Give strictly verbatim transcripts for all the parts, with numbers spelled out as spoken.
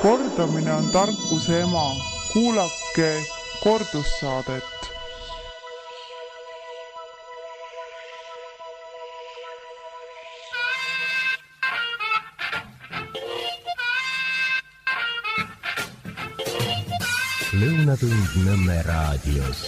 Kordamine on tarkuse ema. Kuulake kordussaadet. Lõunatund Nõmme raadios.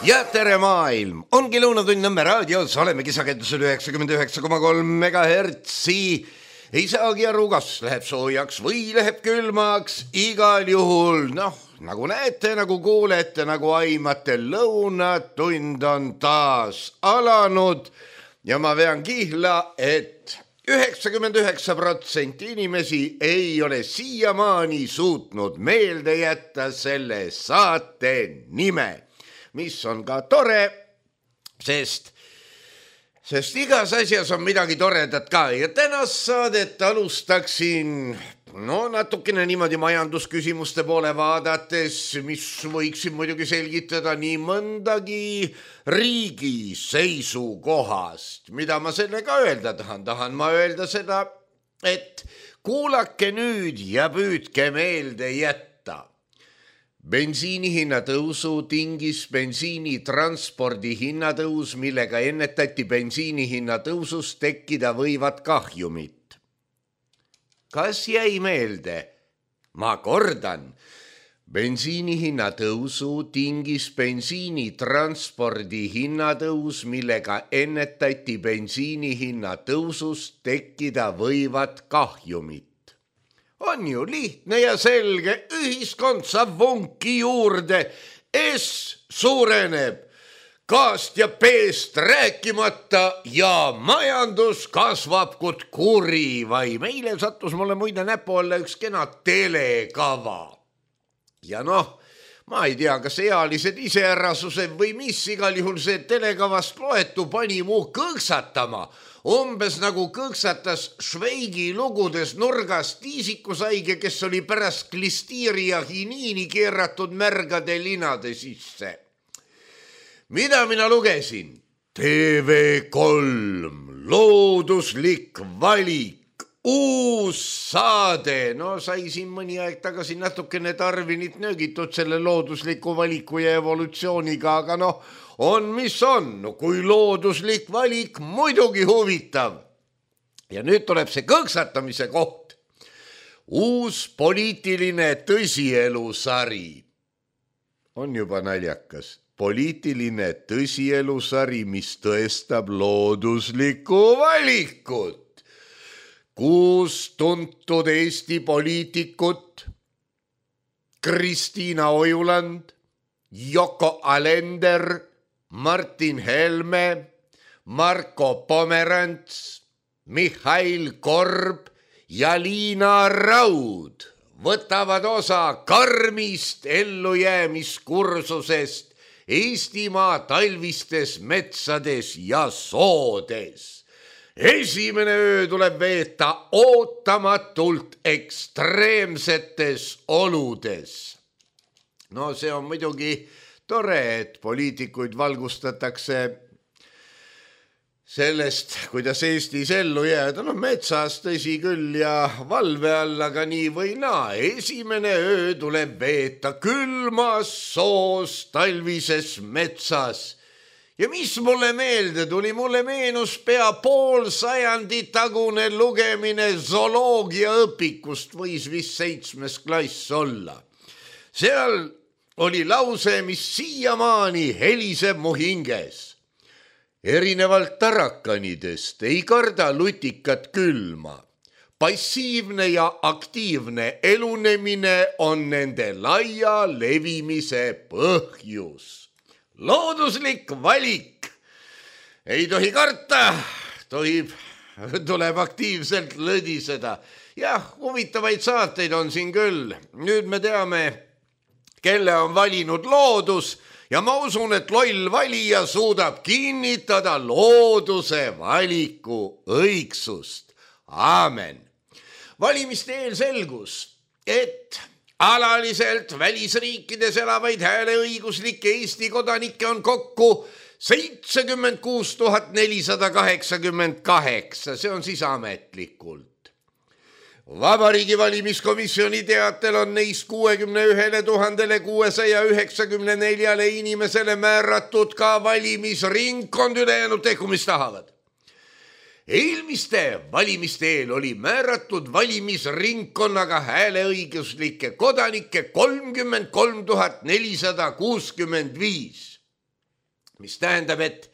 Ja tere maailm! Ongi Lõunatund Nõmme raadios, olemegi sagedusel üheksakümmend üheksa koma kolm megahertsi. Ei saagi aru, kas läheb soojaks või läheb külmaks. Igal juhul, noh, nagu näete, nagu kuulete, nagu aimate, Lõunatund on taas alanud. Ja ma vean kihla, et üheksakümmend üheksa protsenti inimesi ei ole siiamaani suutnud meelde jätta selle saate nime, mis on ka tore, sest, sest igas asjas on midagi toredat ka. Ja tänast saadet alustaksin no natukene niimoodi majandusküsimuste poole vaadates, mis võiksin muidugi selgitada nii mõndagi riigi seisukohast. Mida ma sellega öelda tahan? Tahan ma öelda seda, et kuulake nüüd ja püüdke meelde jätta. Bensiini hinnatõusu tingis bensiini transpordi hinnatõus, millega ennetati bensiini hinnatõusust tekkida võivad kahjumid. Kas jäi meelde? Ma kordan. Bensiini hinnatõusu tingis bensiini transpordi hinnatõus, millega ennetati bensiini hinnatõusust tekkida võivad kahjumid. On ju lihtne ja selge, ühiskond saab vunki juurde, S suureneb, K-st ja P-st rääkimata ja majandus kasvab kui kuri. Vai meile sattus mulle muide näpu alla üks kena telekava. Ja noh, ma ei tea, kas ealised iseärasuse või mis, igal juhul see telekavast loetu pani muu kõõksatama. Umbes nagu kõõksatas Šveigi lugudes nurgas tiisikusaige, kes oli pärast klistiiri ja hiniini keeratud märgade linade sisse. Mida mina lugesin? T V kolm, looduslik valik, uus saade. No sai siin mõni aeg tagasi natukene tarvinit nöögitud selle loodusliku valiku ja evolutsiooniga, aga noh, on mis on, no kui looduslik valik, muidugi huvitav. Ja nüüd tuleb see kõõksatamise koht. Uus poliitiline tõsielusari. On juba naljakas. Poliitiline tõsielusari, mis tõestab looduslikku valikut. Kuus tuntud Eesti poliitikut, Kristiina Ojuland, Yoko Alender, Martin Helme, Marko Pomerants, Mihhail Korb ja Liina Raud võtavad osa karmist ellujäämiskursusest Eestimaa talvistes metsades ja soodes. Esimene öö tuleb veeta ootamatult ekstreemsetes oludes. No see on muidugi tore, et poliitikuid valgustatakse sellest, kuidas Eestis ellu jääda. No metsas tõsi küll ja valve all, aga nii või naa. Esimene öö tuleb veeta külmas soos talvises metsas. Ja mis mulle meelde tuli? Mulle meenus pea pool sajandi tagune lugemine zooloogia õpikust, võis vist seitsmes klass olla. Seal oli lause, mis siiamaani heliseb mu hinges. Erinevalt tarakanidest ei karda lutikat külma. Passiivne ja aktiivne elunemine on nende laia levimise põhjus. Looduslik valik. Ei tohi karta, tohib, tuleb aktiivselt lõdiseda. Jah, huvitavaid saateid on siin küll. Nüüd me teame, kelle on valinud loodus. Ja ma usun, et loll valija suudab kinnitada looduse valiku õigsust. Aamen. Valimiste eel selgus, et alaliselt välisriikides elavaid hääleõiguslikke Eesti kodanikke on kokku seitsekümmend kuus tuhat nelisada kaheksakümmend kaheksa. See on siis ametlikult. Vabariigi valimiskomisjoni teatel on neist kuuekümne ühele tuhandele kuuesaja üheksakümne neljale inimesele määratud ka valimisringkond, ülejäänud tehku mis tahavad. Eelmiste valimiste eel oli määratud valimisringkonnaga hääleõiguslikke kodanikke kolmkümmend kolm tuhat nelisada kuuskümmend viis, mis tähendab, et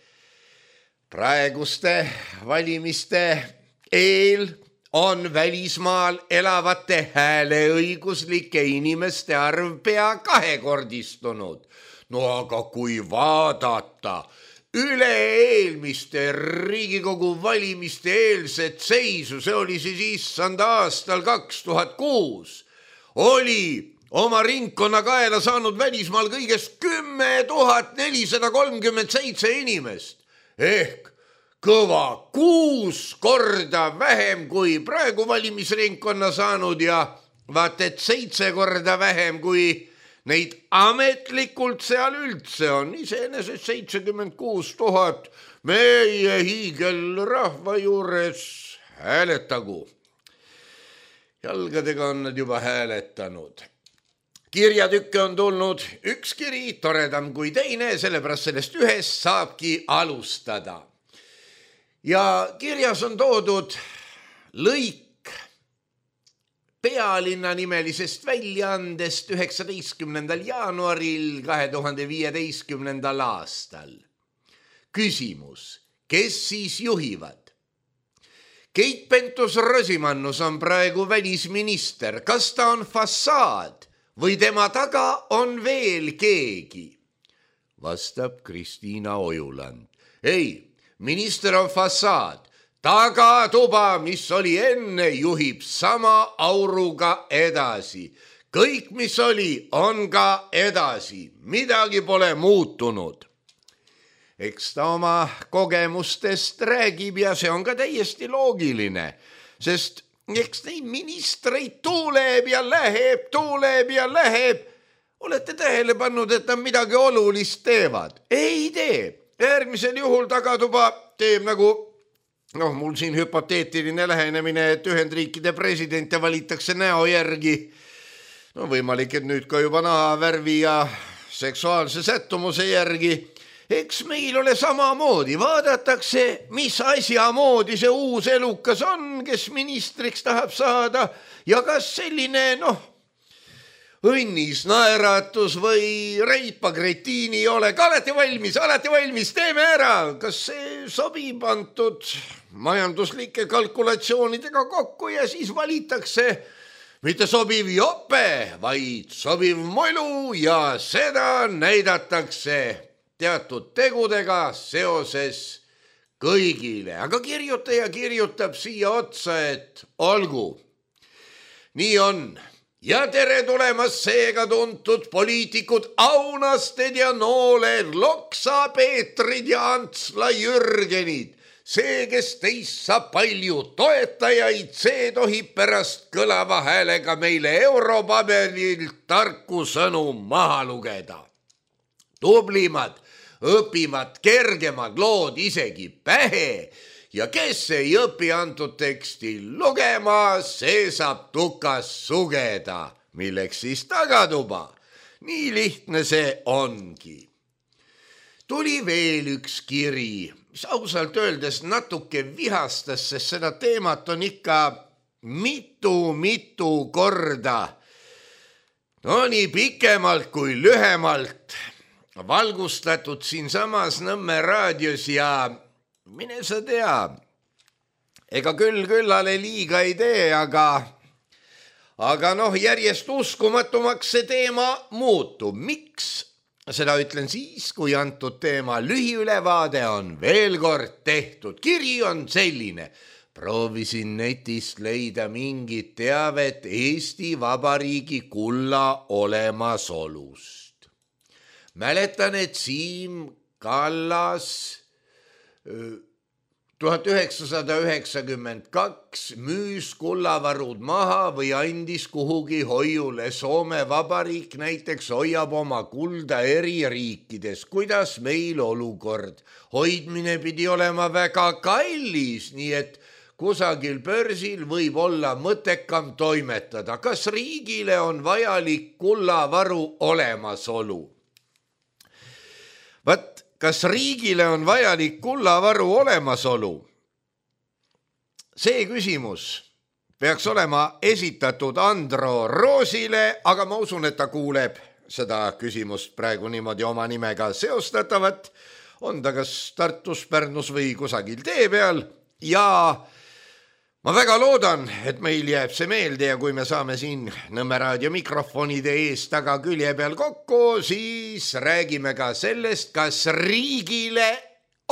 praeguste valimiste eel on välismaal elavate hääleõiguslike inimeste arv pea kahekordistunud. No aga kui vaadata üle-eelmiste Riigikogu valimiste eelset seisu, see oli siis issand aastal kaks tuhat kuus, oli oma ringkonna kaela saanud välismaal kõigest kümme tuhat nelisada kolmkümmend seitse inimest ehk kõva kuus korda vähem kui praegu valimisringkonna saanud ja vaat et seitse korda vähem kui neid ametlikult seal üldse on. Iseenesest seitsekümmend kuus tuhat meie hiigelrahva juures hääletagu. Jalgadega on nad juba hääletanud. Kirjatükke on tulnud üks kiri, toredam kui teine, sellepärast sellest ühest saabki alustada. Ja kirjas on toodud lõik Pealinna nimelisest väljaandest üheksateistkümnendal jaanuaril kahe tuhande viieteistkümnendal aastal. Küsimus, kes siis juhivad? Keit Pentus-Rosimannus on praegu välisminister. Kas ta on fassaad või tema taga on veel keegi? Vastab Kristiina Ojuland. Ei. Minister on fassaad, tagatuba, mis oli enne, juhib sama auruga edasi. Kõik, mis oli, on ka edasi. Midagi pole muutunud. Eks ta oma kogemustest räägib ja see on ka täiesti loogiline, sest eks neid ministreid tuuleb ja läheb, tuuleb ja läheb. Olete tähele pannud, et nad midagi olulist teevad? Ei tee. Järgmisel juhul tagatuba teeb nagu, noh, mul siin hüpoteetiline lähenemine, et Ühendriikide presidente valitakse näo järgi. No võimalik, et nüüd ka juba nahavärvi ja seksuaalse sättumuse järgi. Eks meil ole samamoodi, vaadatakse, mis asja moodi see uus elukas on, kes ministriks tahab saada ja kas selline, noh, õnnis, naeratus või reipa gretiini ei ole. Alati valmis, alati valmis, teeme ära. Kas see sobib antud majanduslike kalkulatsioonidega kokku ja siis valitakse mitte sobiv jope, vaid sobiv molu ja seda näidatakse teatud tegudega seoses kõigile. Aga kirjutaja kirjutab siia otsa, et olgu. Nii on. Ja tere tulemas seega tuntud poliitikud Aunasted ja Nooled, Loksa, Peetrid ja Antsla Jürgenid. See, kes teist saab palju toetajaid, see tohib pärast kõlava häälega meile europaberilt tarku sõnu maha lugeda. Tublimad, õpivad kergemad lood isegi pähe. Ja kes ei õpi antud teksti lugema, see saab tukas sugeda, milleks siis tagatuba. Nii lihtne see ongi. Tuli veel üks kiri, mis ausalt öeldes natuke vihastas, sest seda teemat on ikka mitu-mitu korda. No nii pikemalt kui lühemalt valgustatud siin samas Nõmme raadios ja mine sa tea, ega küll küllale liiga ei tee, aga, aga noh, järjest uskumatumaks see teema muutub. Miks? Seda ütlen siis, kui antud teema lühiülevaade on veel kord tehtud. Kiri on selline. Proovisin netist leida mingit teavet Eesti Vabariigi kulla olemasolust. Mäletan, et Siim Kallas tuhat üheksasada üheksakümmend kaks müüs kullavarud maha või andis kuhugi hoiule. Soome Vabariik näiteks hoiab oma kulda eri riikides. Kuidas meil olukord? Hoidmine pidi olema väga kallis, nii et kusagil börsil võib olla mõttekam toimetada. Kas riigile on vajalik kullavaru olemasolu? Vat, kas riigile on vajalik kullavaru olemasolu? See küsimus peaks olema esitatud Andro Roosile, aga ma usun, et ta kuuleb seda küsimust praegu niimoodi oma nimega seostatavat. On ta kas Tartus, Pärnus või kusagil tee peal ja ma väga loodan, et meil jääb see meelde ja kui me saame siin Nõmme raadio mikrofonide ees taga külje peal kokku, siis räägime ka sellest, kas riigile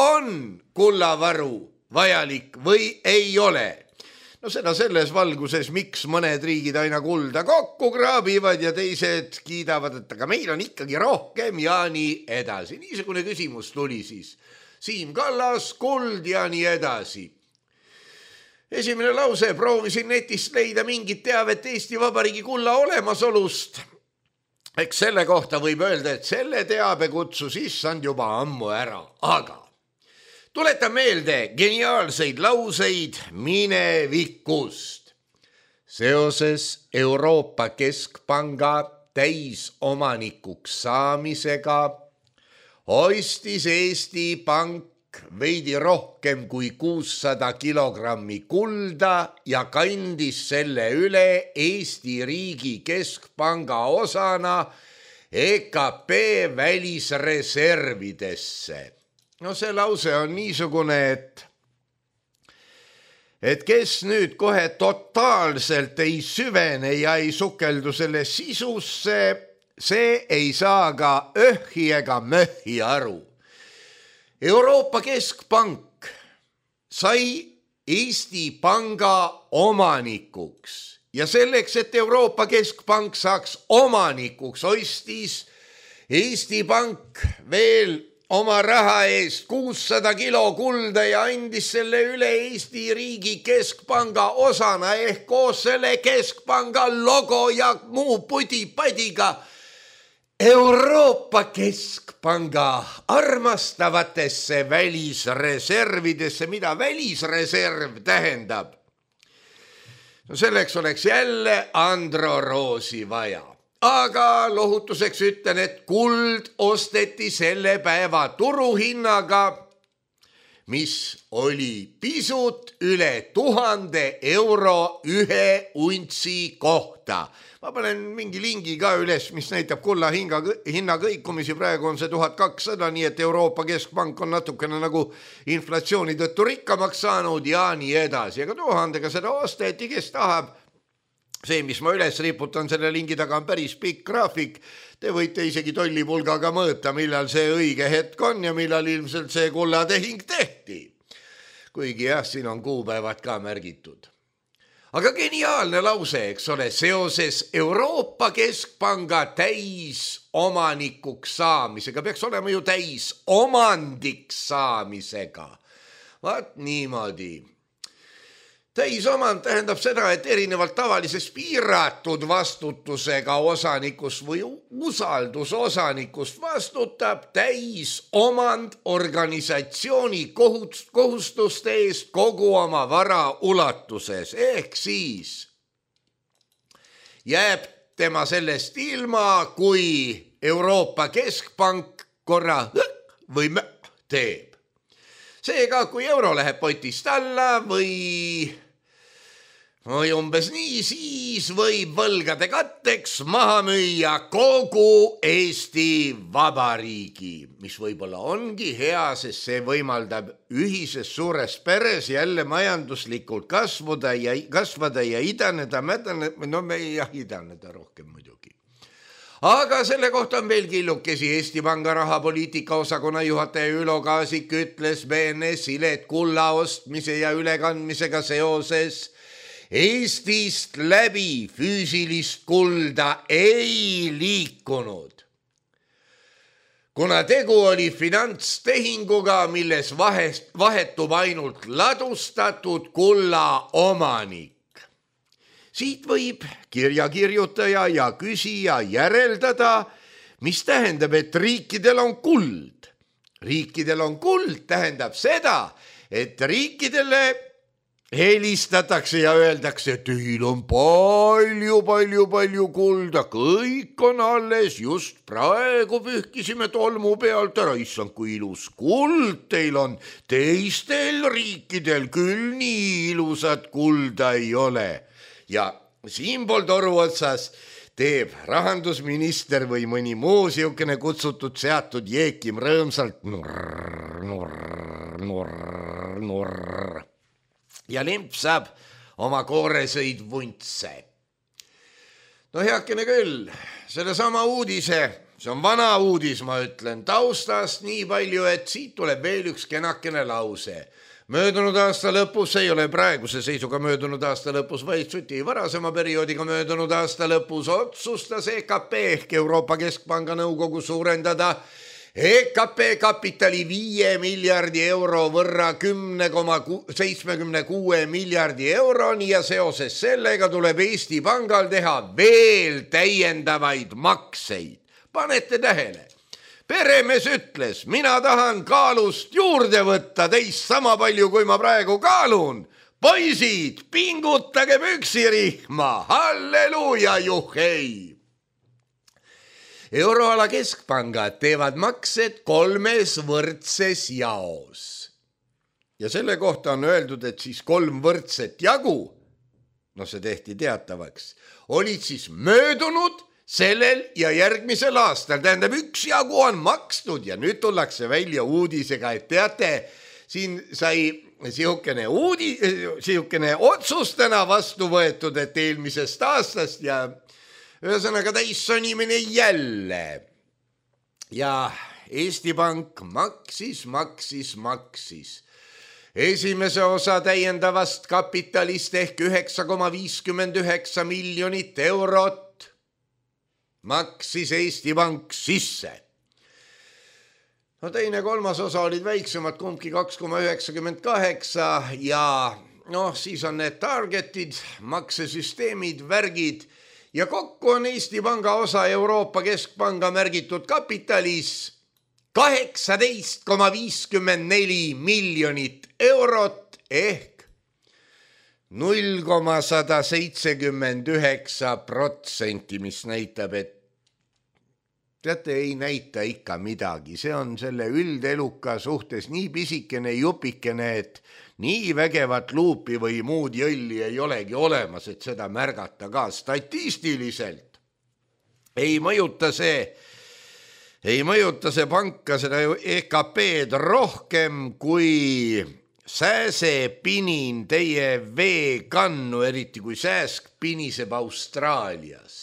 on kullavaru vajalik või ei ole. No seda selles valguses, miks mõned riigid aina kulda kokku kraabivad ja teised kiidavad, et aga meil on ikkagi rohkem ja nii edasi. Niisugune küsimus tuli siis. Siim Kallas, kuld ja nii edasi. Esimene lause, proovisin netist leida mingit teavet Eesti Vabariigi kulla olemasolust. Eks selle kohta võib öelda, et selle teabe kutsus issand juba ammu ära. Aga tuletan meelde geniaalseid lauseid minevikust. Seoses Euroopa Keskpanga täisomanikuks saamisega ostis Eesti Pank veidi rohkem kui kuussada kilogrammi kulda ja kandis selle üle Eesti riigi keskpanga osana E K P välisreservidesse. No see lause on niisugune, et, et kes nüüd kohe totaalselt ei süvene ja ei sukeldu selle sisusse, see ei saa ka öhhi ega möhhi aru. Euroopa Keskpank sai Eesti Panga omanikuks ja selleks, et Euroopa Keskpank saaks omanikuks, ostis Eesti Pank veel oma raha eest kuussada kilo kulda ja andis selle üle Eesti riigi keskpanga osana ehk koos selle keskpanga logo ja muu pudi-padiga Euroopa Keskpanga armastavatesse välisreservidesse. Mida välisreserv tähendab? No selleks oleks jälle Andro Roosi vaja. Aga lohutuseks ütlen, et kuld osteti selle päeva turuhinnaga, mis oli pisut üle tuhande euro ühe untsi kohta. Ma panen mingi lingi ka üles, mis näitab kulla hinga, hinna kõikumisi. Praegu on see tuhat kakssada, nii et Euroopa Keskpank on natukene nagu inflatsiooni tõttu rikkamaks saanud ja nii edasi. Aga tuhandega seda osteti, kes tahab. See, mis ma üles riputan selle lingi taga, on päris pikk graafik. Te võite isegi tollipulgaga mõõta, millal see õige hetk on ja millal ilmselt see kullatehing tehti. Kuigi jah, siin on kuupäevad ka märgitud. Aga geniaalne lause, eks ole, seoses Euroopa Keskpanga täisomanikuks saamisega, peaks olema ju täisomandiks saamisega. Vaat niimoodi. Täisomand tähendab seda, et erinevalt tavalisest piiratud vastutusega osanikust või usaldusosanikust vastutab täisomand organisatsiooni kohustuste eest kogu oma vara ulatuses. Ehk siis jääb tema sellest ilma, kui Euroopa Keskpank korra või teeb. Seega, kui euro läheb potist alla või, või umbes nii, siis võib võlgade katteks maha müüa kogu Eesti Vabariigi, mis võib-olla ongi hea, sest see võimaldab ühises suures peres jälle majanduslikult kasvada ja, kasvada ja idaneda, mädaneda, no me ei jah, idaneda rohkem muidugi. Aga selle kohta on veel killukesi. Eesti Panga rahapoliitika osakonna juhataja Ülo Kaasik ütles B N S-ile, et kulla ostmise ja ülekandmisega seoses Eestist läbi füüsilist kulda ei liikunud. Kuna tegu oli finantstehinguga, milles vahetub ainult ladustatud kulla omanik. Siit võib kirjakirjutaja ja küsija järeldada, mis tähendab, et riikidel on kuld. Riikidel on kuld tähendab seda, et riikidele helistatakse ja öeldakse, et teil on palju, palju, palju kulda, kõik on alles, just praegu pühkisime tolmu pealt ära, issand, kui ilus kuld teil on, teistel riikidel küll nii ilusat kulda ei ole. Ja siinpool toru otsas teeb rahandusminister või mõni muu siukene kutsutud seatud jeekim rõõmsalt nurr, nurr, nurr, nurr. Ja limpsab oma kooresõid vuntse. No heakene küll, selle sama uudise, see on vana uudis, ma ütlen, taustast nii palju, et siit tuleb veel üks kenakene lause. Möödunud aasta lõpus, ei ole praeguse seisuga möödunud aasta lõpus, vaid suti varasema perioodiga möödunud aasta lõpus otsustas E K P ehk Euroopa Keskpanga nõukogu suurendada E K P kapitali viie miljardi euro võrra kümne koma seitsmekümne kuue miljardi euroni ja seoses sellega tuleb Eesti Pangal teha veel täiendavaid makseid. Panete tähele? Peremees ütles, mina tahan kaalust juurde võtta teist sama palju, kui ma praegu kaalun. Poisid, pingutage püksirihma, halleluuja, juhhei! Euroala keskpangad teevad maksed kolmes võrdses jaos. Ja selle kohta on öeldud, et siis kolm võrdset jagu, no see tehti teatavaks, olid siis möödunud sellel ja järgmisel aastal, tähendab üks jagu on makstud ja nüüd tullakse välja uudisega, et teate, siin sai siukene, uudi, siukene otsustena vastu võetud, et eelmisest aastast ja ühesõnaga täissonimine jälle. Ja Eesti Pank maksis, maksis, maksis. Esimese osa täiendavast kapitalist ehk üheksa koma viiskümmend üheksa miljonit eurot maksis Eesti Pank sisse. No teine kolmas osa olid väiksemad, kumbki kaks koma üheksakümmend kaheksa ja noh, siis on need targetid, maksesüsteemid, värgid ja kokku on Eesti Panga osa Euroopa Keskpanga märgitud kapitalis kaheksateist koma viiskümmend neli miljonit eurot ehk null koma sada seitsekümmend üheksa protsenti, mis näitab, et teate, ei näita ikka midagi. See on selle üldeluka suhtes nii pisikene jupikene, et nii vägevat luupi või muud jõlli ei olegi olemas, et seda märgata ka statistiliselt. Ei mõjuta see, ei mõjuta see panka seda E K P-d rohkem kui sääsepinin teie veekannu, eriti kui sääsk piniseb Austraalias.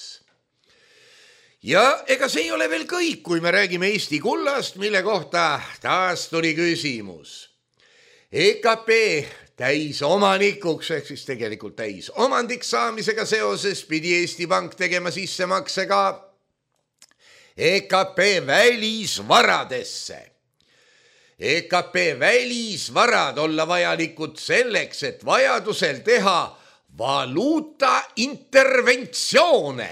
Ja ega see ei ole veel kõik, kui me räägime Eesti kullast, mille kohta taas tuli küsimus. E K P täis omanikuks, ehk siis tegelikult täis omandiks saamisega seoses pidi Eesti Pank tegema sissemakse ka E K P välisvaradesse. E K P välisvarad olla vajalikud selleks, et vajadusel teha valuuta interventsioone.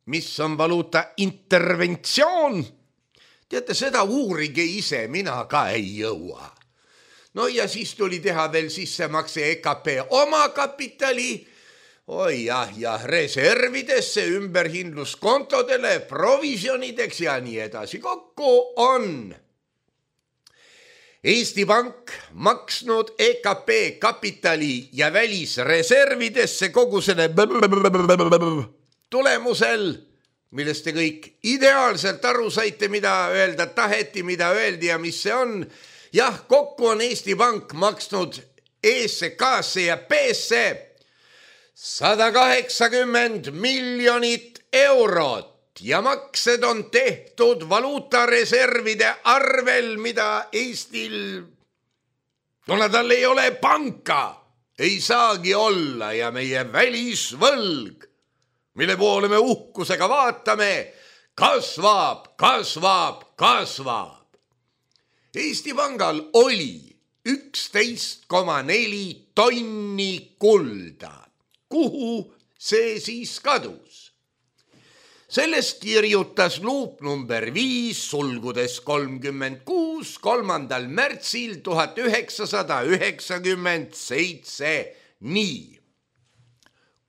Mis on valuuta interventsioon? Teate, seda uurige ise, mina ka ei jõua. No ja siis tuli teha veel sissemakse E K P oma kapitali, oi jah, ja reservidesse, ümberhindluskontodele, provisionideks ja nii edasi. Kokku on Eesti Pank maksnud E K P kapitali ja välisreservidesse kogu selle tulemusel, millest te kõik ideaalselt aru saite, mida öelda taheti, mida öeldi ja mis see on. Jah, kokku on Eesti Pank maksnud E-sse, K-sse ja P-sse sada kaheksakümmend miljonit eurot. Ja maksed on tehtud valuutareservide arvel, mida Eestil, kuna tal ei ole panka, ei saagi olla ja meie välisvõlg, mille poole me uhkusega vaatame, kasvab, kasvab, kasvab. Eesti Pangal oli üksteist koma neli tonni kulda. Kuhu see siis kadus? Sellest kirjutas luup number viis sulgudes kolmkümmend kuus kolmandal märtsil tuhat üheksasada üheksakümmend seitse nii.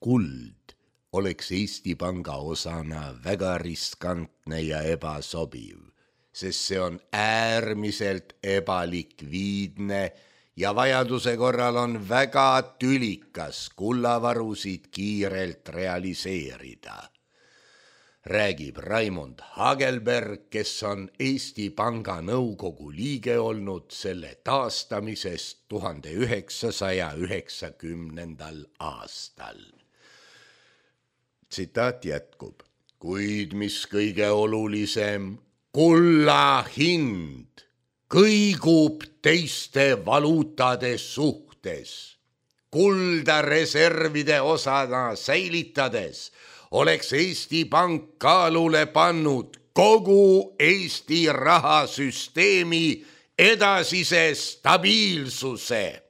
Kuld oleks Eesti Panga osana väga riskantne ja ebasobiv, sest see on äärmiselt ebalikviidne ja vajaduse korral on väga tülikas kullavarusid kiirelt realiseerida. Räägib Raimond Hagelberg, kes on Eesti Panga nõukogu liige olnud selle taastamisest tuhande üheksasaja üheksakümnendal aastal. Tsitaat jätkub. Kuid mis kõige olulisem, kulla hind kõigub teiste valuutade suhtes. Kulda reservide osana säilitades oleks Eesti Pank kaalule pannud kogu Eesti rahasüsteemi edasise stabiilsuse.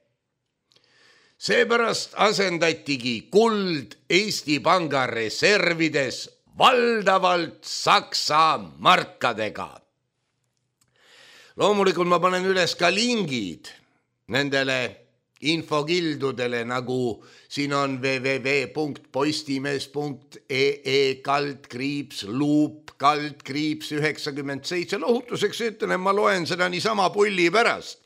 Seepärast asendatigi kuld Eesti Panga reservides valdavalt Saksa markadega. Loomulikult ma panen üles ka lingid nendele infokildudele, nagu siin on www punkt postimees punkt ee kaldkriips luup kaldkriips üheksakümmend seitse. Lohutuseks ütlen, ma loen seda niisama pulli pärast,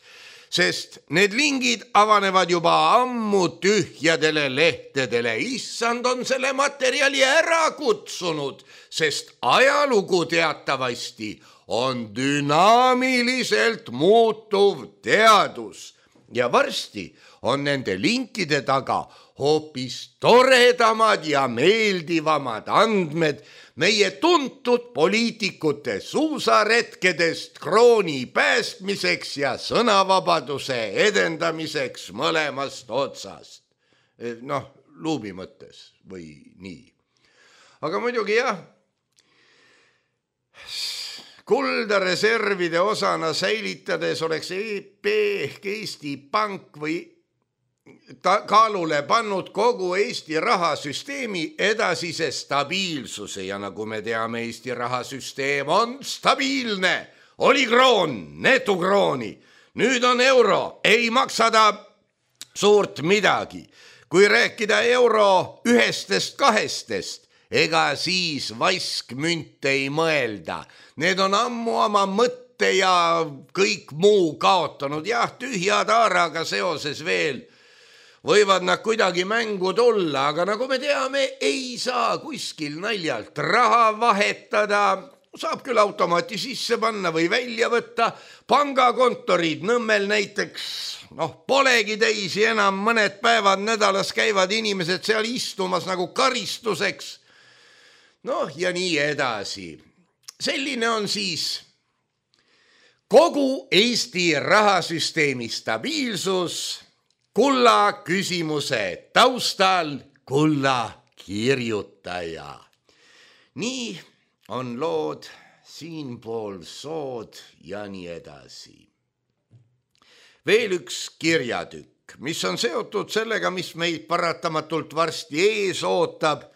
sest need lingid avanevad juba ammu tühjadele lehtedele. Issand on selle materjali ära kutsunud, sest ajalugu teatavasti on dünaamiliselt muutuv teadus. Ja varsti on nende linkide taga hoopis toredamad ja meeldivamad andmed meie tuntud poliitikute suusaretkedest krooni päästmiseks ja sõnavabaduse edendamiseks mõlemast otsast. Noh, luubi mõttes või nii. Aga muidugi jah, kulda reservide osana säilitades oleks E P ehk Eesti Pank või ta kaalule pannud kogu Eesti rahasüsteemi edasise stabiilsuse ja nagu me teame, Eesti rahasüsteem on stabiilne. Oli kroon, netukrooni, nüüd on euro, ei maksa ta suurt midagi. Kui rääkida euro ühestest kahestest, ega siis vaskmünt ei mõelda. Need on ammu oma mõtte ja kõik muu kaotanud. Jah, tühja taaraga seoses veel võivad nad kuidagi mängu tulla, aga nagu me teame, ei saa kuskil naljalt raha vahetada. Saab küll automaati sisse panna või välja võtta. Pangakontorid Nõmmel näiteks, noh, polegi teisi enam, mõned päevad nädalas käivad inimesed seal istumas nagu karistuseks. Noh, ja nii edasi. Selline on siis kogu Eesti rahasüsteemi stabiilsus kulla küsimuse taustal kulla kirjutaja. Nii on lood siinpool sood ja nii edasi. Veel üks kirjatükk, mis on seotud sellega, mis meid paratamatult varsti ees ootab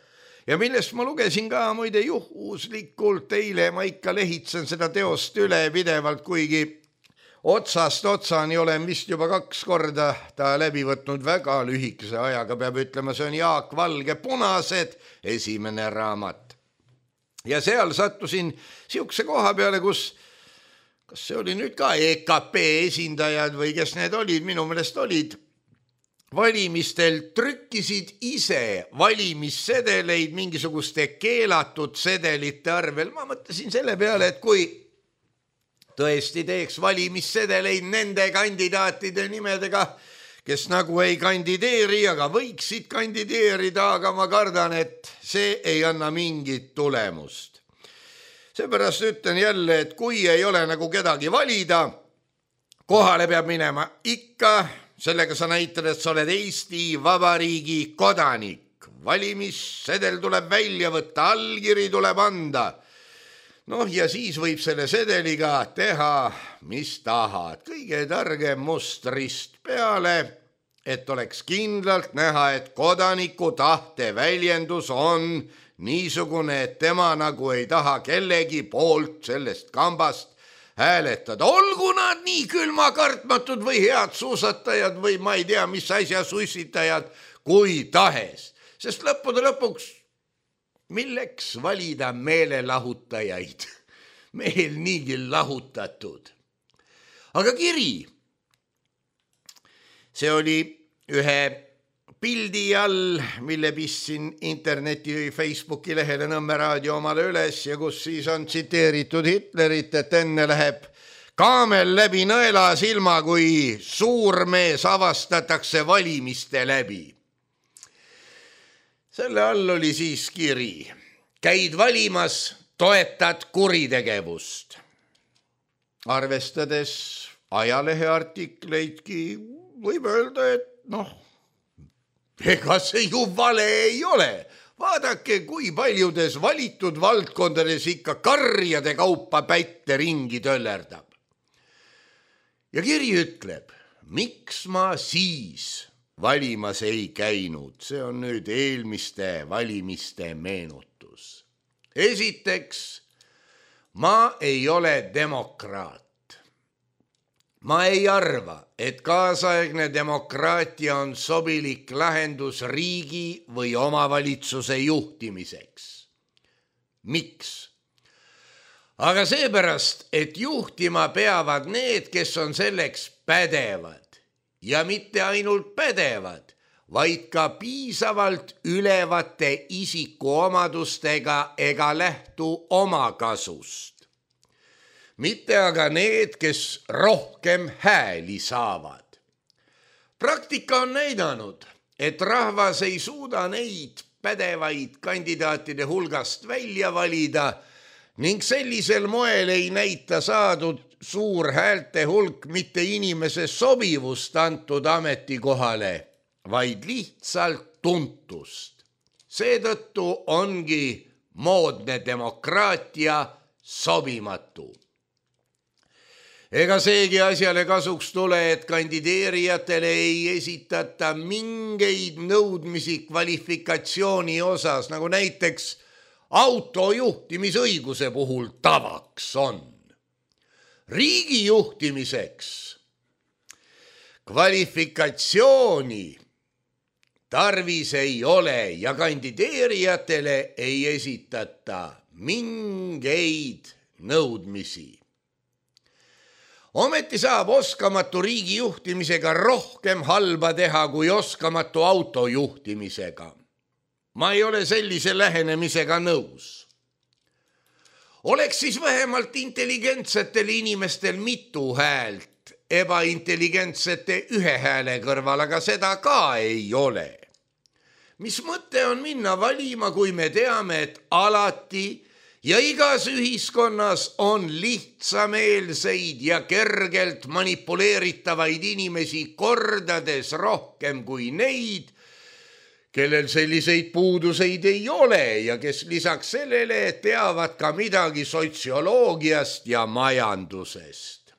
ja millest ma lugesin ka muide juhuslikult eile. Ma ikka lehitsen seda teost üle pidevalt, kuigi otsast otsani olen vist juba kaks korda ta läbi võtnud väga lühikese ajaga, peab ütlema, see on Jaak Valge Punased, esimene raamat. Ja seal sattusin siukse koha peale, kus, kas see oli nüüd ka E K P esindajad või kes need olid, minu meelest olid, valimistel trükkisid ise valimissedeleid mingisuguste keelatud sedelite arvel. Ma mõtlesin selle peale, et kui tõesti teeks valimissedeleid nende kandidaatide nimedega, kes nagu ei kandideeri, aga võiksid kandideerida, aga ma kardan, et see ei anna mingit tulemust. Seepärast ütlen jälle, et kui ei ole nagu kedagi valida, kohale peab minema ikka, sellega sa näitad, et sa oled Eesti Vabariigi kodanik. Valimissedel tuleb välja võtta, allkiri tuleb anda. Noh, ja siis võib selle sedeliga teha, mis tahad. Kõige targem mustrist peale, et oleks kindlalt näha, et kodaniku tahte väljendus on niisugune, et tema nagu ei taha kellegi poolt sellest kambast hääletada. Olgu nad nii külmakartmatud või head suusatajad või ma ei tea, mis asja sussitajad kui tahes. Sest lõppude lõpuks, milleks valida meelelahutajaid? Meil niigi lahutatud. Aga kiri, see oli ühe pildi all, mille pistsin interneti või Facebooki lehele Nõmme Raadio omale üles ja kus siis on tsiteeritud Hitlerit, et enne läheb kaamel läbi nõela silma, kui suurmees avastatakse valimiste läbi. Selle all oli siis kiri. Käid valimas, toetad kuritegevust. Arvestades ajalehe artikleidki võib öelda, et noh, ega see ju vale ei ole. Vaadake, kui paljudes valitud valdkondades ikka karjade kaupa pätte ringi töllerdab. Ja kiri ütleb, miks ma siis valimas ei käinud. See on nüüd eelmiste valimiste meenutus. Esiteks, ma ei ole demokraat. Ma ei arva, et kaasaegne demokraatia on sobilik lahendus riigi või omavalitsuse juhtimiseks. Miks? Aga seepärast, et juhtima peavad need, kes on selleks pädevad ja mitte ainult pädevad, vaid ka piisavalt ülevate isikuomadustega ega lähtu omakasust. Mitte aga need, kes rohkem hääli saavad. Praktika on näidanud, et rahvas ei suuda neid pädevaid kandidaatide hulgast välja valida ning sellisel moel ei näita saadud suur häälte hulk mitte inimese sobivust antud ametikohale, vaid lihtsalt tuntust. Seetõttu ongi moodne demokraatia sobimatu. Ega seegi asjale kasuks tule, et kandideerijatele ei esitata mingeid nõudmisi kvalifikatsiooni osas, nagu näiteks autojuhtimisõiguse puhul tavaks on. Riigi juhtimiseks kvalifikatsiooni tarvis ei ole ja kandideerijatele ei esitata mingeid nõudmisi. Ometi saab oskamatu riigi juhtimisega rohkem halba teha kui oskamatu auto juhtimisega. Ma ei ole sellise lähenemisega nõus. Oleks siis vähemalt intelligentsetel inimestel mitu häält, ebaintelligentsete ühe hääle kõrval, aga seda ka ei ole. Mis mõte on minna valima, kui me teame, et alati ja igas ühiskonnas on lihtsameelseid ja kergelt manipuleeritavaid inimesi kordades rohkem kui neid, kellel selliseid puuduseid ei ole ja kes lisaks sellele teavad ka midagi sotsioloogiast ja majandusest.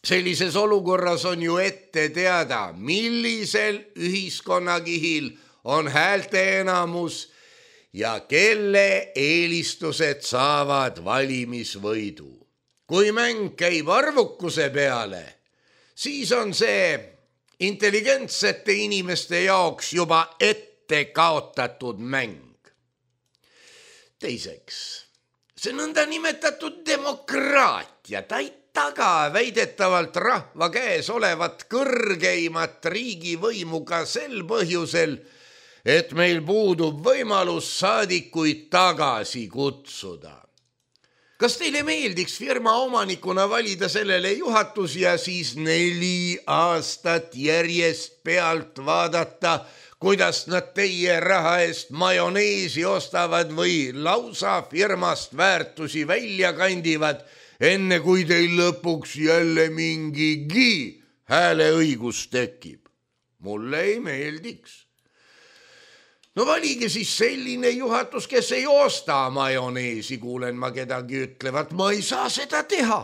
Sellises olukorras on ju ette teada, millisel ühiskonnakihil on häälte enamus ja kelle eelistused saavad valimisvõidu. Kui mäng käib arvukuse peale, siis on see intelligentsete inimeste jaoks juba ette kaotatud mäng. Teiseks, see nõnda nimetatud demokraatia, ta ei taga väidetavalt rahva käes olevat kõrgeimat riigivõimu ka sel põhjusel, et meil puudub võimalus saadikuid tagasi kutsuda. Kas teile meeldiks firma omanikuna valida sellele juhatus ja siis neli aastat järjest pealt vaadata, kuidas nad teie raha eest majoneesi ostavad või lausa firmast väärtusi välja kandivad, enne kui teil lõpuks jälle mingigi hääleõigus tekib? Mulle ei meeldiks. No valige siis selline juhatus, kes ei osta majoneesi, kuulen ma kedagi ütlevat, ma ei saa seda teha.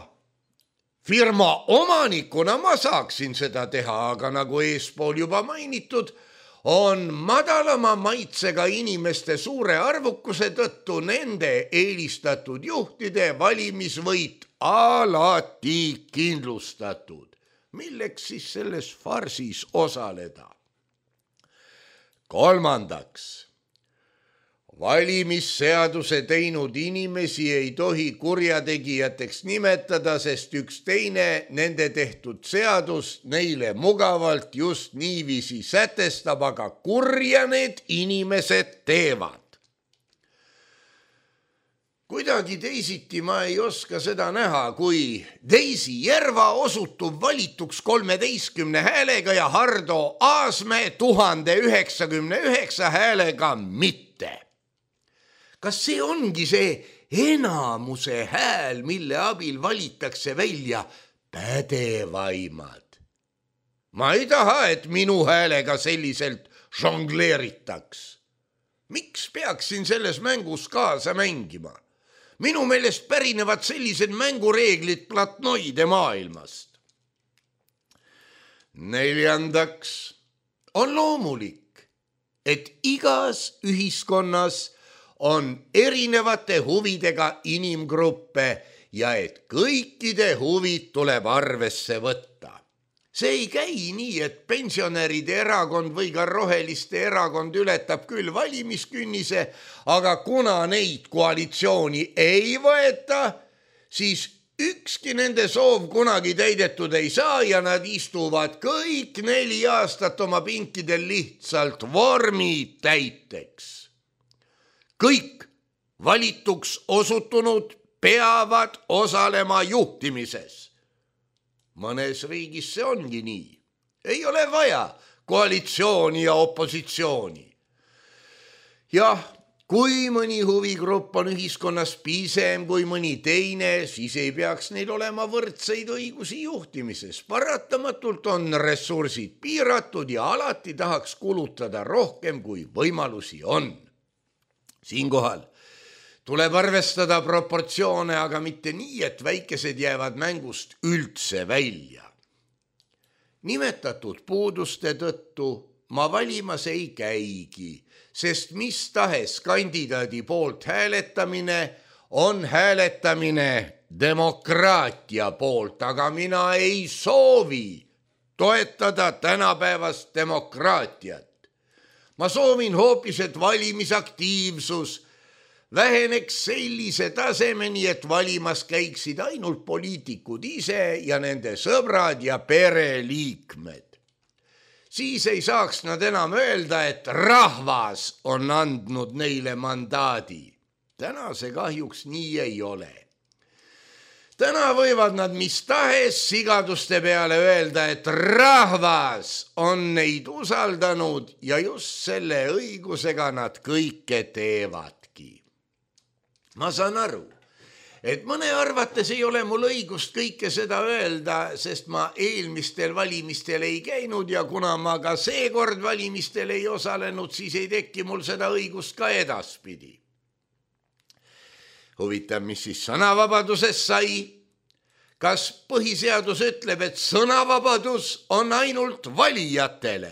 Firma omanikuna ma saaksin seda teha, aga nagu eespool juba mainitud, on madalama maitsega inimeste suure arvukuse tõttu nende eelistatud juhtide valimisvõit alati kindlustatud. Milleks siis selles farsis osaleda? Kolmandaks, valimisseaduse teinud inimesi ei tohi kurjategijateks nimetada, sest üks teine nende tehtud seadus neile mugavalt just niiviisi sätestab, aga kurja need inimesed teevad. Kuidagi teisiti ma ei oska seda näha, kui Daisy Järva osutub valituks kolmeteistkümne häälega ja Hardo Aasmäe tuhande üheksakümne üheksa häälega mitte. Kas see ongi see enamuse hääl, mille abil valitakse välja pädevaimad? Ma ei taha, et minu häälega selliselt žongleeritaks. Miks peaksin selles mängus kaasa mängima? Minu meelest pärinevad sellised mängureeglid platnoide maailmast. Neljandaks, on loomulik, et igas ühiskonnas on erinevate huvidega inimgruppe ja et kõikide huvid tuleb arvesse võtta. See ei käi nii, et pensionäride erakond või ka roheliste erakond ületab küll valimiskünnise, aga kuna neid koalitsiooni ei võeta, siis ükski nende soov kunagi täidetud ei saa ja nad istuvad kõik neli aastat oma pinkidel lihtsalt vormi täiteks. Kõik valituks osutunud peavad osalema juhtimises. Mõnes riigis see ongi nii. Ei ole vaja koalitsiooni ja opositsiooni. Jah, kui mõni huvigrupp on ühiskonnas pisem kui mõni teine, siis ei peaks neil olema võrdseid õigusi juhtimises. Paratamatult on ressursid piiratud ja alati tahaks kulutada rohkem, kui võimalusi on. Siinkohal tuleb arvestada proportsioone, aga mitte nii, et väikesed jäävad mängust üldse välja. Nimetatud puuduste tõttu ma valimas ei käigi, sest mis tahes kandidaadi poolt hääletamine on hääletamine demokraatia poolt, aga mina ei soovi toetada tänapäevast demokraatiat. Ma soovin hoopis, et valimisaktiivsus väheneks sellise tasemeni, et valimas käiksid ainult poliitikud ise ja nende sõbrad ja pereliikmed. Siis ei saaks nad enam öelda, et rahvas on andnud neile mandaadi. Täna see kahjuks nii ei ole. Täna võivad nad mis tahes sigaduste peale öelda, et rahvas on neid usaldanud ja just selle õigusega nad kõike teevadki. Ma saan aru, et mõne arvates ei ole mul õigust kõike seda öelda, sest ma eelmistel valimistel ei käinud ja kuna ma ka seekord valimistel ei osalenud, siis ei teki mul seda õigust ka edaspidi. Huvitav, mis siis sõnavabadusest sai? Kas põhiseadus ütleb, et sõnavabadus on ainult valijatele?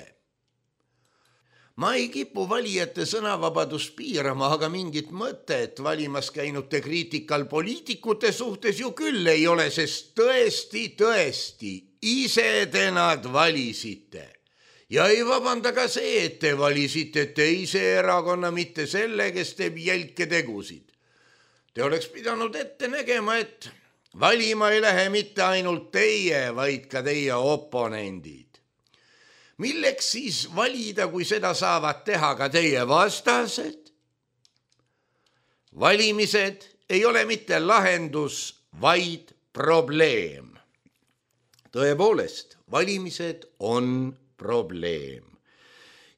Ma ei kipu valijate sõnavabadust piirama, aga mingit mõtet valimas käinute kriitikal poliitikute suhtes ju küll ei ole, sest tõesti, tõesti, ise te nad valisite. Ja ei vabanda ka see, et te valisite teise erakonna, mitte selle, kes teeb jälke tegusid. Te oleks pidanud ette nägema, et valima ei lähe mitte ainult teie, vaid ka teie oponendid. Milleks siis valida, kui seda saavad teha ka teie vastased? Valimised ei ole mitte lahendus, vaid probleem. Tõepoolest, valimised on probleem.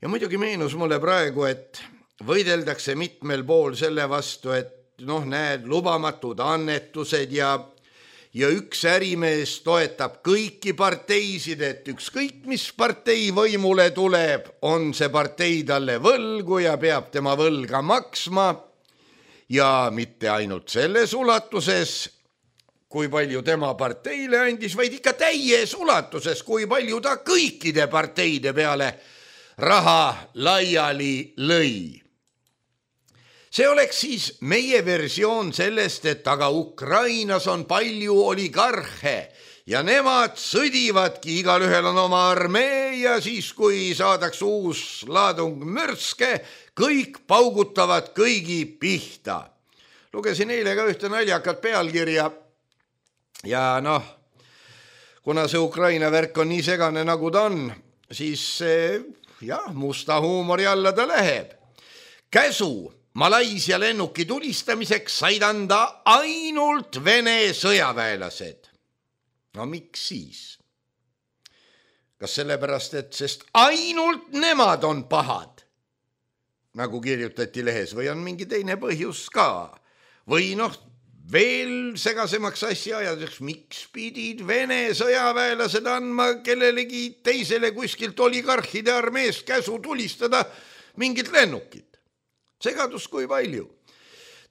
Ja muidugi meenus mulle praegu, et võideldakse mitmel pool selle vastu, et noh, näed, lubamatud annetused ja Ja üks ärimees toetab kõiki parteisid, et ükskõik mis partei võimule tuleb, on see partei talle võlgu ja peab tema võlga maksma. Ja mitte ainult selles ulatuses, kui palju tema parteile andis, vaid ikka täies ulatuses, kui palju ta kõikide parteide peale raha laiali lõi. See oleks siis meie versioon sellest, et aga Ukrainas on palju oligarhe ja nemad sõdivadki, igalühel on oma armee ja siis, kui saadaks uus laadung mürske, kõik paugutavad kõigi pihta. Lugesin eile ka ühte naljakat pealkirja ja noh, kuna see Ukraina värk on nii segane nagu ta on, siis jah, musta huumori alla ta läheb. Käsu Malaisia lennuki tulistamiseks said anda ainult Vene sõjaväelased. No miks siis? Kas sellepärast, et sest ainult nemad on pahad, nagu kirjutati lehes, või on mingi teine põhjus ka? Või noh, veel segasemaks asja ajadeks, miks pidid Vene sõjaväelased andma kellelegi teisele kuskilt oligarhide armeest käsu tulistada mingit lennukit? Segadus kui palju.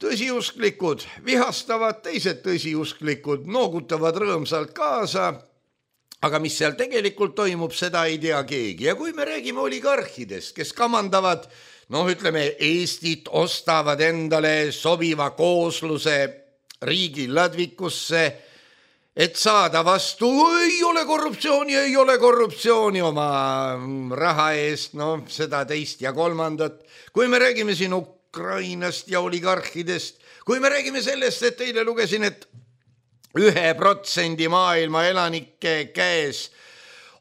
Tõsiusklikud vihastavad, teised tõsiusklikud noogutavad rõõmsalt kaasa, aga mis seal tegelikult toimub, seda ei tea keegi. Ja kui me räägime oligarhidest, kes kamandavad, noh ütleme, Eestit ostavad endale sobiva koosluse riigi ladvikusse, et saada vastu, ei ole korruptsiooni, ei ole korruptsiooni oma raha eest, no seda teist ja kolmandat. Kui me räägime siin Ukrainast ja oligarhidest, kui me räägime sellest, et teile lugesin, et ühe protsendi maailma elanike käes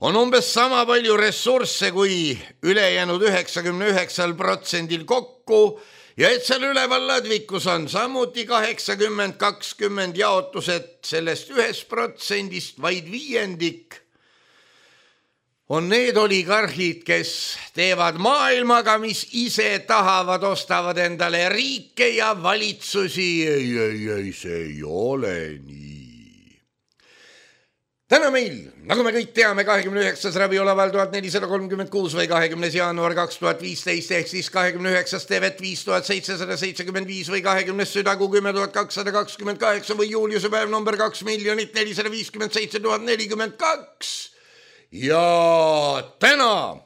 on umbes sama palju ressursse kui ülejäänud üheksakümne üheksal protsendil kokku ja et seal üleval ladvikus on samuti kaheksakümmend kakskümmend jaotused sellest ühest protsendist vaid viiendik, on need oligarhid, kes teevad maailmaga, mis ise tahavad, ostavad endale riike ja valitsusi. Ei, ei, ei, see ei ole nii. Täna meil, nagu me kõik teame, kahekümne üheksas Raviola tuhat nelisada kolmkümmend kuus või kahekümnes jaanuar kaks tuhat viisteist ehk siis kahekümne üheksas Tevet viis tuhat seitsesada seitsekümmend viis või kahekümnes Südagu kümme tuhat kakssada kakskümmend kaheksa või Juuliuse päev number kaks miljonit nelisada viiskümmend seitse tuhat nelikümmend kaks. Ja täna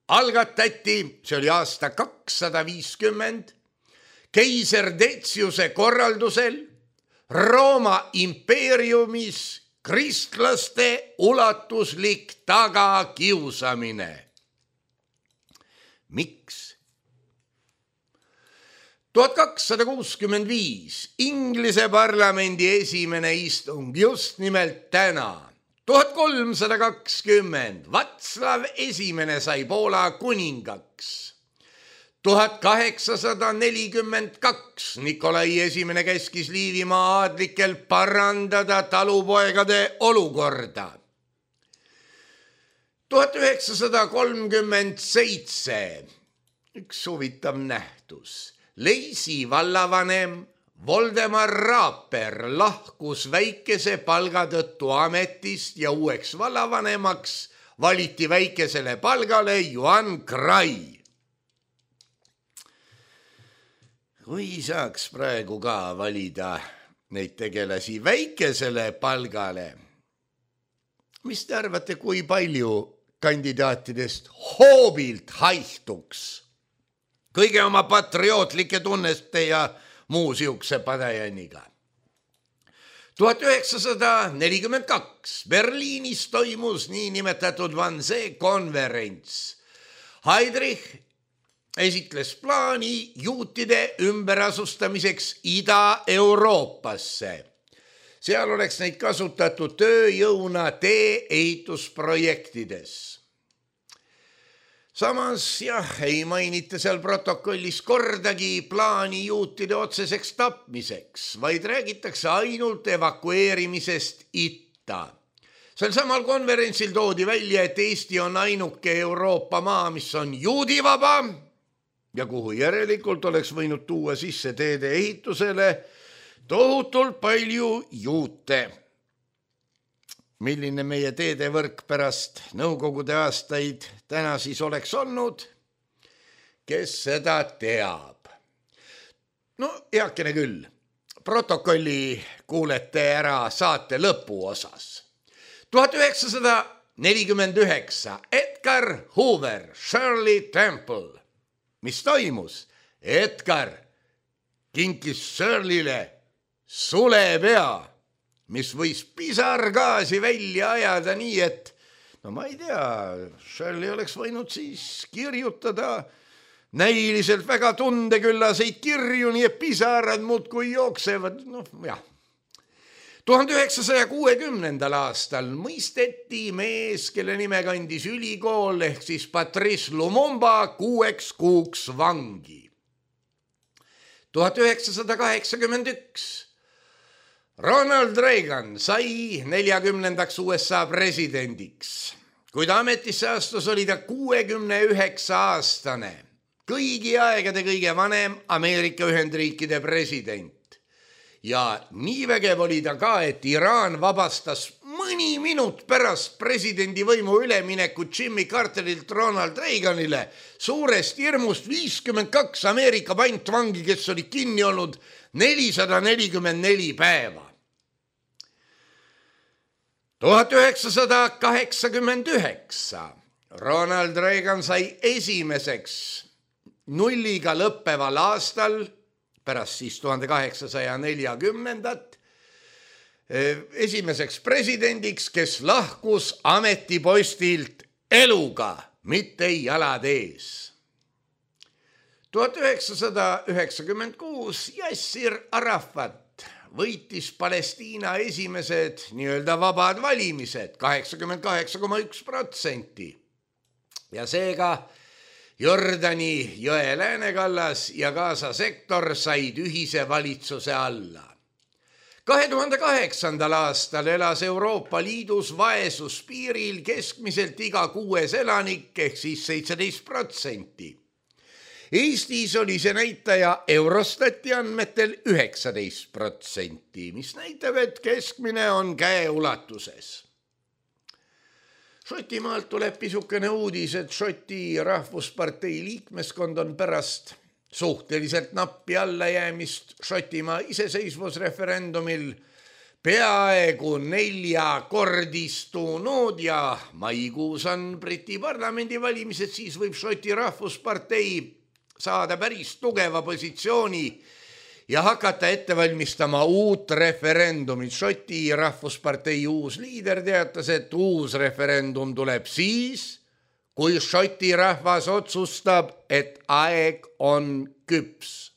algatati, see oli aasta kakssada viiskümmend, keiser Deciuse korraldusel Rooma impeeriumis kristlaste ulatuslik tagakiusamine. Miks? tuhat kakssada kuuskümmend viis Inglise parlamendi esimene istung just nimelt täna. tuhat kolmsada kakskümmend Vatslav esimene sai Poola kuningaks. tuhat kaheksasada nelikümmend kaks Nikolai esimene käskis Liivimaa aadlikel parandada talupoegade olukorda. tuhat üheksasada kolmkümmend seitse üks huvitav nähtus. Leisi vallavanem Voldemar Raaper lahkus väikese palga tõttu ametist ja uueks vallavanemaks valiti väikesele palgale Juhan Krai. Kui saaks praegu ka valida neid tegelasi väikesele palgale, mis te arvate, kui palju kandidaatidest hoobilt haihtuks kõige oma patriootlike tunneste ja muu siukse padajaniga? tuhat üheksasada nelikümmend kaks Berliinis toimus niinimetatud Wannsee konverents. Heydrich esitles plaani juutide ümberasustamiseks Ida-Euroopasse. Seal oleks neid kasutatud tööjõuna tee-ehitusprojektides. Samas jah, ei mainita seal protokollis kordagi plaani juutide otseseks tapmiseks, vaid räägitakse ainult evakueerimisest itta. Sel samal konverentsil toodi välja, et Eesti on ainuke Euroopa maa, mis on juudivaba ja kuhu järelikult oleks võinud tuua sisse teede ehitusele tohutult palju juute. Milline meie teedevõrk pärast nõukogude aastaid täna siis oleks olnud, kes seda teab. No heakene küll, protokolli kuulete ära saate lõpu osas. tuhat üheksasada nelikümmend üheksa Edgar Hoover, Shirley Temple. Mis toimus? Edgar kinkis Shirleyle sulepea, mis võis pisargaasi välja ajada nii, et no ma ei tea, Shirley oleks võinud siis kirjutada näiliselt väga tundeküllaseid kirju, nii et pisarad muudkui jooksevad, noh jah. tuhande üheksasaja kuuekümnendal aastal mõisteti mees, kelle nime kandis ülikool ehk siis Patrice Lumumba kuueks kuuks vangi. tuhat üheksasada kaheksakümmend üks Ronald Reagan sai neljakümnendaks U S A presidendiks. Kui ta ametisse astus, oli ta kuuekümne üheksa aastane, kõigi aegade kõige vanem Ameerika Ühendriikide president. Ja nii vägev oli ta ka, et Iraan vabastas mõni minut pärast presidendi võimu üleminekut Jimmy Carterilt Ronald Reaganile suurest hirmust viiskümmend kaks Ameerika pantvangi, kes olid kinni olnud nelisada nelikümmend neli päeva. tuhat üheksasada kaheksakümmend üheksa Ronald Reagan sai esimeseks nulliga lõppeval aastal pärast siis tuhande kaheksasaja neljakümnendat esimeseks presidendiks, kes lahkus ametipostilt eluga, mitte jalad ees. tuhat üheksasada üheksakümmend kuus Yasser Arafat võitis Palestiina esimesed nii-öelda vabad valimised kaheksakümmend kaheksa koma üks protsenti ja seega Jordani jõe läänekallas ja Gaza sektor said ühise valitsuse alla. kahe tuhande kaheksandal aastal elas Euroopa Liidus vaesuspiiril keskmiselt iga kuues elanik ehk siis seitseteist protsenti. Eestis oli see näitaja Eurostati andmetel üheksateist protsenti, mis näitab, et keskmine on käeulatuses. Šotimaalt tuleb pisukene uudis, et Šoti rahvuspartei liikmeskond on pärast suhteliselt nappi allajäämist Šotimaa iseseisvusreferendumil peaaegu neljakordistunud ja maikuus on Briti parlamendi valimised, siis võib Šoti rahvuspartei saada päris tugeva positsiooni ja hakata ette valmistama uut referendumit. Šoti rahvuspartei uus liider teatas, et uus referendum tuleb siis, kui Šoti rahvas otsustab, et aeg on küps.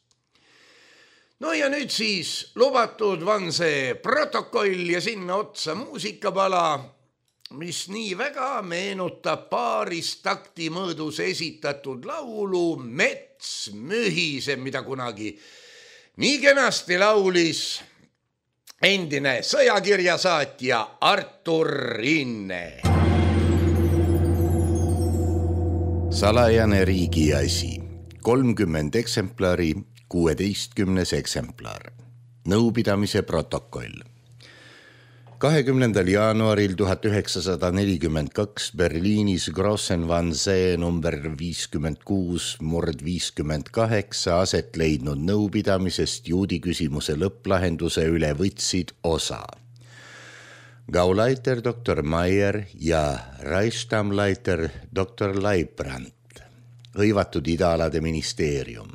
No ja nüüd siis lubatud on see protokoll ja sinna otsa muusikapala, mis nii väga meenutab paaris takti mõõdus esitatud laulu Mets mühiseb, mida kunagi nii kenasti laulis endine sõjakirjasaatja Artur Rinne. Salajane riigi asi, kolmkümmend eksemplari, kuueteistkümnes eksemplar, nõupidamise protokoll. kahekümnendal jaanuaril tuhat üheksasada nelikümmend kaks Berliinis Grossenwannsee number viiskümmend kuus murd viiskümmend kaheksa aset leidnud nõupidamisest juudi küsimuse lõpplahenduse üle võtsid osa Gauleiter doktor Maier ja Reichstammleiter doktor Leibrand, hõivatud idaalade ministeerium,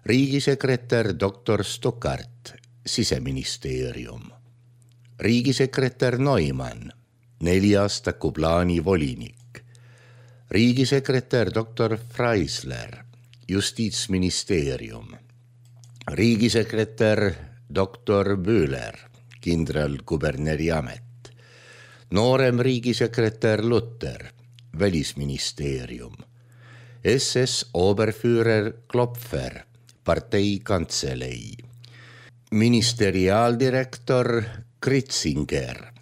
riigisekretär doktor Stuckart, siseministeerium, riigisekretär Neumann, neliaastaku plaani volinik, riigisekretär doktor Freisler, justiitsministeerium, riigisekretär doktor Bühler, kindralkuberneri amet, noorem riigisekretär Lutter, välisministeerium, S S Oberführer Klopfer, partei kantselei, ministeriaaldirektor Kritzinger,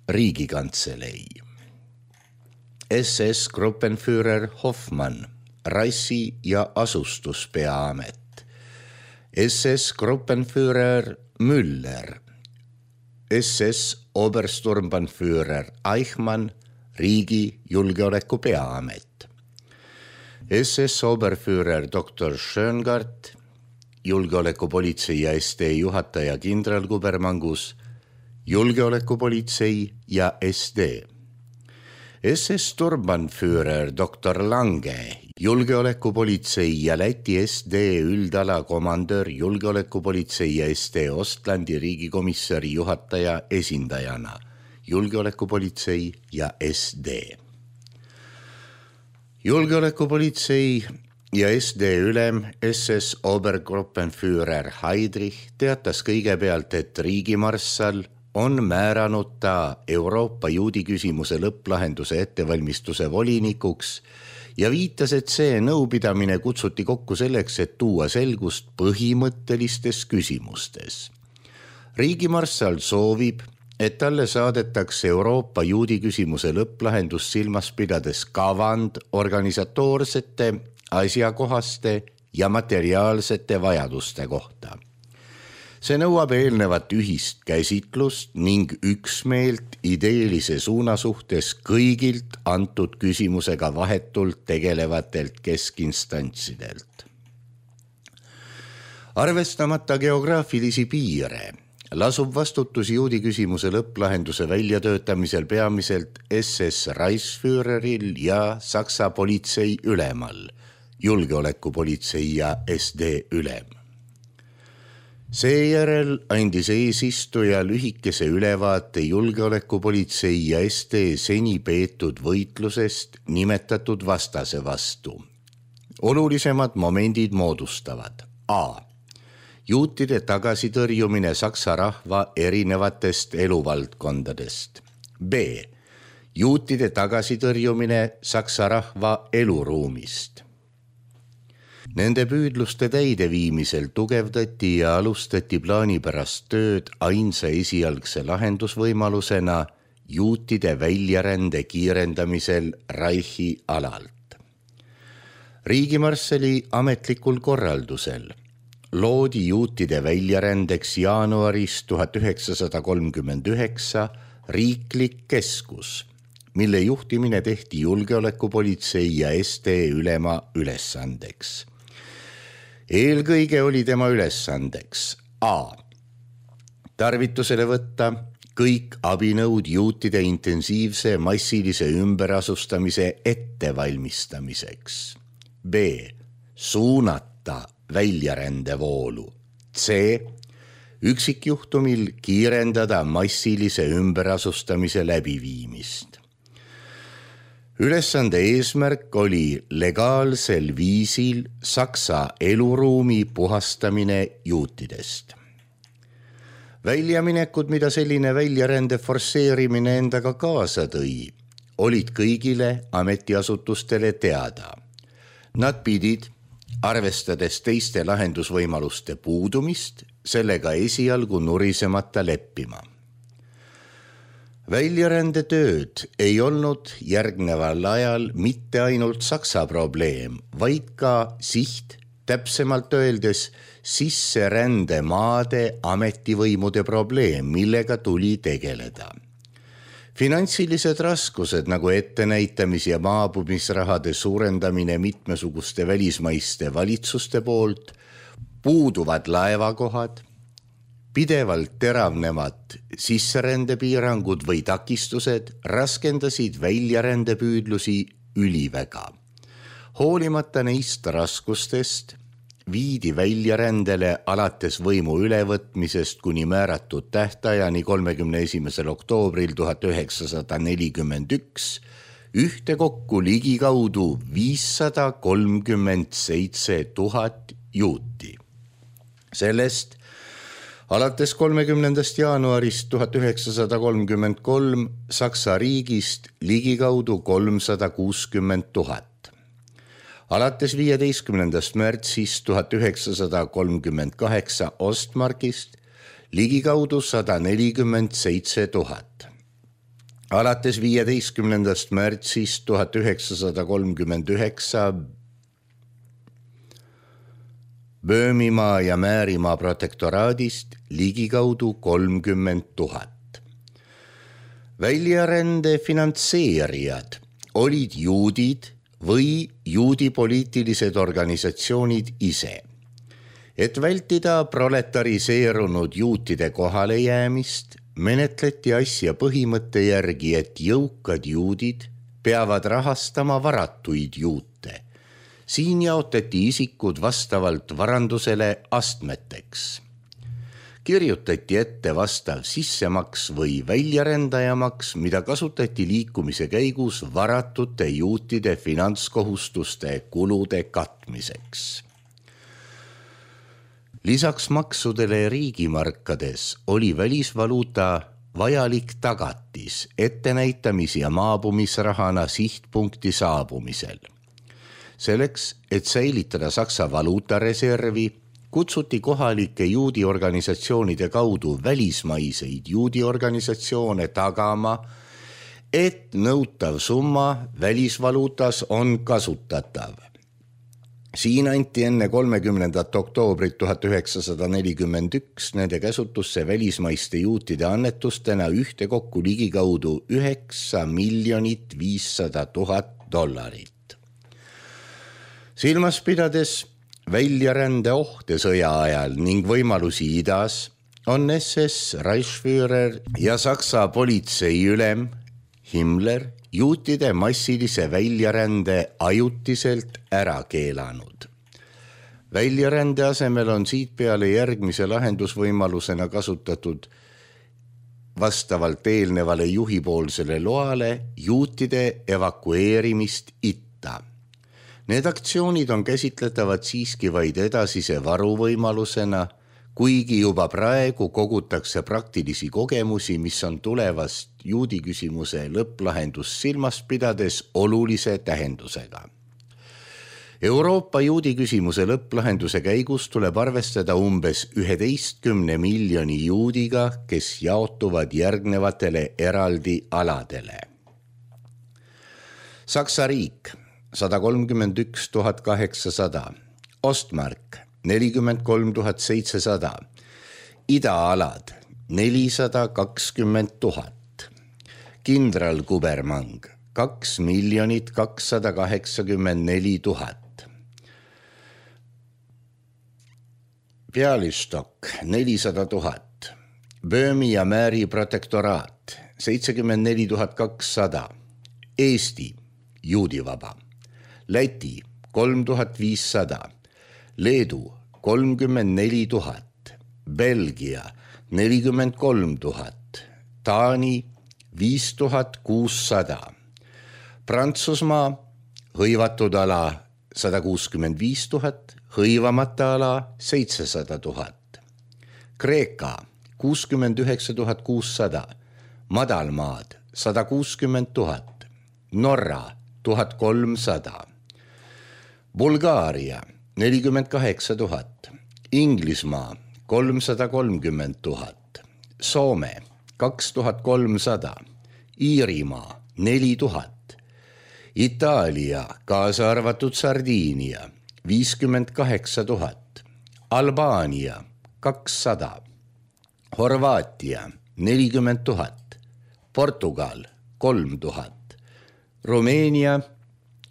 riigikantselei, S S Gruppenführer Hoffmann, rassi- ja asustuspeaamet, S S Gruppenführer Müller, S S Obersturmbannführer Eichmann, riigi julgeoleku peaamet, S S Oberführer doktor Schöngart, julgeolekupolitsei ja S D juhataja kindralkubermangus, julgeolekupolitsei ja S D, S S Sturmbannführer doktor Lange, julgeolekupolitsei ja Läti S D üldala komandör, julgeolekupolitsei ja S D Ostlandi riigikomissari juhataja esindajana, julgeolekupolitsei ja S D. Julgeolekupolitsei ja S D ülem S S Obergruppenführer Heydrich teatas kõigepealt, et riigimarssal on määranud ta Euroopa juudi küsimuse lõpplahenduse ettevalmistuse volinikuks ja viitas, et see nõupidamine kutsuti kokku selleks, et tuua selgust põhimõttelistes küsimustes. Riigimarssal soovib, et talle saadetakse Euroopa juudi küsimuse lõpplahendus silmas pidades kavand organisatoorsete, asjakohaste ja materiaalsete vajaduste kohta. See nõuab eelnevat ühist käsitlust ning üksmeelt ideelise suuna suhtes kõigilt antud küsimusega vahetult tegelevatelt keskistantsidelt. Arvestamata geograafilisi piire lasub vastutus juudi küsimuse lõpplahenduse väljatöötamisel peamiselt S S Reichsführeril ja Saksa politsei ülemal, julgeolekupolitsei ja S D ülem. Seejärel andis eesistuja lühikese ülevaate julgeolekupolitsei ja S D seni peetud võitlusest nimetatud vastase vastu. Olulisemad momendid moodustavad A. Juutide tagasitõrjumine saksa rahva erinevatest eluvaldkondadest. B. Juutide tagasitõrjumine saksa rahva eluruumist. Nende püüdluste täideviimisel tugevdati ja alustati plaanipärast tööd ainsa esialgse lahendusvõimalusena juutide väljarände kiirendamisel Reichi alalt. Riigimarssali ametlikul korraldusel loodi juutide väljarändeks jaanuaris tuhat üheksasada kolmkümmend üheksa riiklik keskus, mille juhtimine tehti julgeolekupolitsei ja S D ülema ülesandeks. Eelkõige oli tema ülesandeks A. Tarvitusele võtta kõik abinõud juutide intensiivse massilise ümberasustamise ettevalmistamiseks. B. Suunata väljarändevoolu. C. Üksikjuhtumil kiirendada massilise ümberasustamise läbiviimist. Ülesande eesmärk oli legaalsel viisil Saksa eluruumi puhastamine juutidest. Väljaminekud, mida selline väljarände forsseerimine endaga kaasa tõi, olid kõigile ametiasutustele teada. Nad pidid, arvestades teiste lahendusvõimaluste puudumist, sellega esialgu nurisemata leppima. Väljarändetööd ei olnud järgneval ajal mitte ainult Saksa probleem, vaid ka siht, täpsemalt öeldes sisserändemaade ametivõimude probleem, millega tuli tegeleda. Finantsilised raskused nagu ettenäitamis- ja maabumisrahade suurendamine mitmesuguste välismaiste valitsuste poolt, puuduvad laevakohad, pidevalt teravnevad sisserändepiirangud või takistused raskendasid väljarändepüüdlusi üliväga. Hoolimata neist raskustest viidi väljarändele alates võimu ülevõtmisest kuni määratud tähtajani kolmekümne esimesel oktoobril tuhat üheksasada nelikümmend üks ühtekokku ligikaudu viissada kolmkümmend seitse tuhat juuti. Sellest alates kolmekümnendast jaanuarist tuhat üheksasada kolmkümmend kolm Saksa riigist ligikaudu kolmsada kuuskümmend tuhat. Alates viieteistkümnendast märtsist tuhat üheksasada kolmkümmend kaheksa Ostmarkist ligikaudu sada nelikümmend seitse tuhat. Alates viieteistkümnendast märtsist tuhat üheksasada kolmkümmend üheksa Böömimaa ja Määrimaa protektoraadist ligikaudu kolmkümmend tuhat. Väljarände finantseerijad olid juudid või juudi poliitilised organisatsioonid ise. Et vältida proletariseerunud juutide kohalejäämist, menetleti asja põhimõtte järgi, et jõukad juudid peavad rahastama varatuid juute. Siin jaotati isikud vastavalt varandusele astmeteks. Kirjutati ette vastav sissemaks või väljarendajamaks, mida kasutati liikumise käigus varatute juutide finantskohustuste kulude katmiseks. Lisaks maksudele riigimarkades oli välisvaluuta vajalik tagatis ettenäitamis- ja maabumisrahana sihtpunkti saabumisel. Selleks, et säilitada Saksa valuutareservi, kutsuti kohalike juudiorganisatsioonide kaudu välismaiseid juudiorganisatsioone tagama, et nõutav summa välisvaluutas on kasutatav. Siin anti enne kolmekümnendat oktoobrit tuhat üheksasada nelikümmend üks nende käsutusse välismaiste juutide annetustena ühtekokku ligikaudu üheksa miljonit viissada tuhat dollarit. Silmas pidades väljarände ohte sõja ajal ning võimalusi idas on S S Reichsführer ja Saksa politseiülem Himmler juutide massilise väljarände ajutiselt ära keelanud. Väljarände asemel on siit peale järgmise lahendusvõimalusena kasutatud vastavalt eelnevale juhipoolsele loale juutide evakueerimist itta. Need aktsioonid on käsitletavad siiski vaid edasise varuvõimalusena, kuigi juba praegu kogutakse praktilisi kogemusi, mis on tulevast juudi küsimuse lõpplahendust silmas pidades olulise tähendusega. Euroopa juudi küsimuse lõpplahenduse käigus tuleb arvestada umbes üheteistkümne miljoni juudiga, kes jaotuvad järgnevatele eraldi aladele. Saksa riik sada kolmkümmend üks tuhat kaheksasada, Ostmark nelikümmend kolm tuhat seitsesada, idaalad nelisada kakskümmend tuhat, kindralkubermang kaks miljonit kakssada kaheksakümmend neli tuhat, Pealistok nelisada tuhat, Böömi ja Määri protektoraat seitsekümmend neli tuhat kakssada, Eesti juudivaba, Läti kolm tuhat viissada, Leedu kolmkümmend neli tuhat, Belgia nelikümmend kolm tuhat, Taani viis tuhat kuussada, Prantsusmaa hõivatud ala sada kuuskümmend viis tuhat, hõivamata ala seitsesada tuhat, Kreeka kuuskümmend üheksa tuhat kuussada, Madalmaad sada kuuskümmend tuhat, Norra tuhat kolmsada, Bulgaaria nelikümmend kaheksa tuhat, Inglismaa kolmsada kolmkümmend tuhat, Soome kaks tuhat kolmsada, Iirimaa neli tuhat, Itaalia kaasa arvatud Sardiinia viiskümmend kaheksa tuhat, Albaania kakssada, Horvaatia nelikümmend tuhat, Portugal kolm tuhat, Rumeenia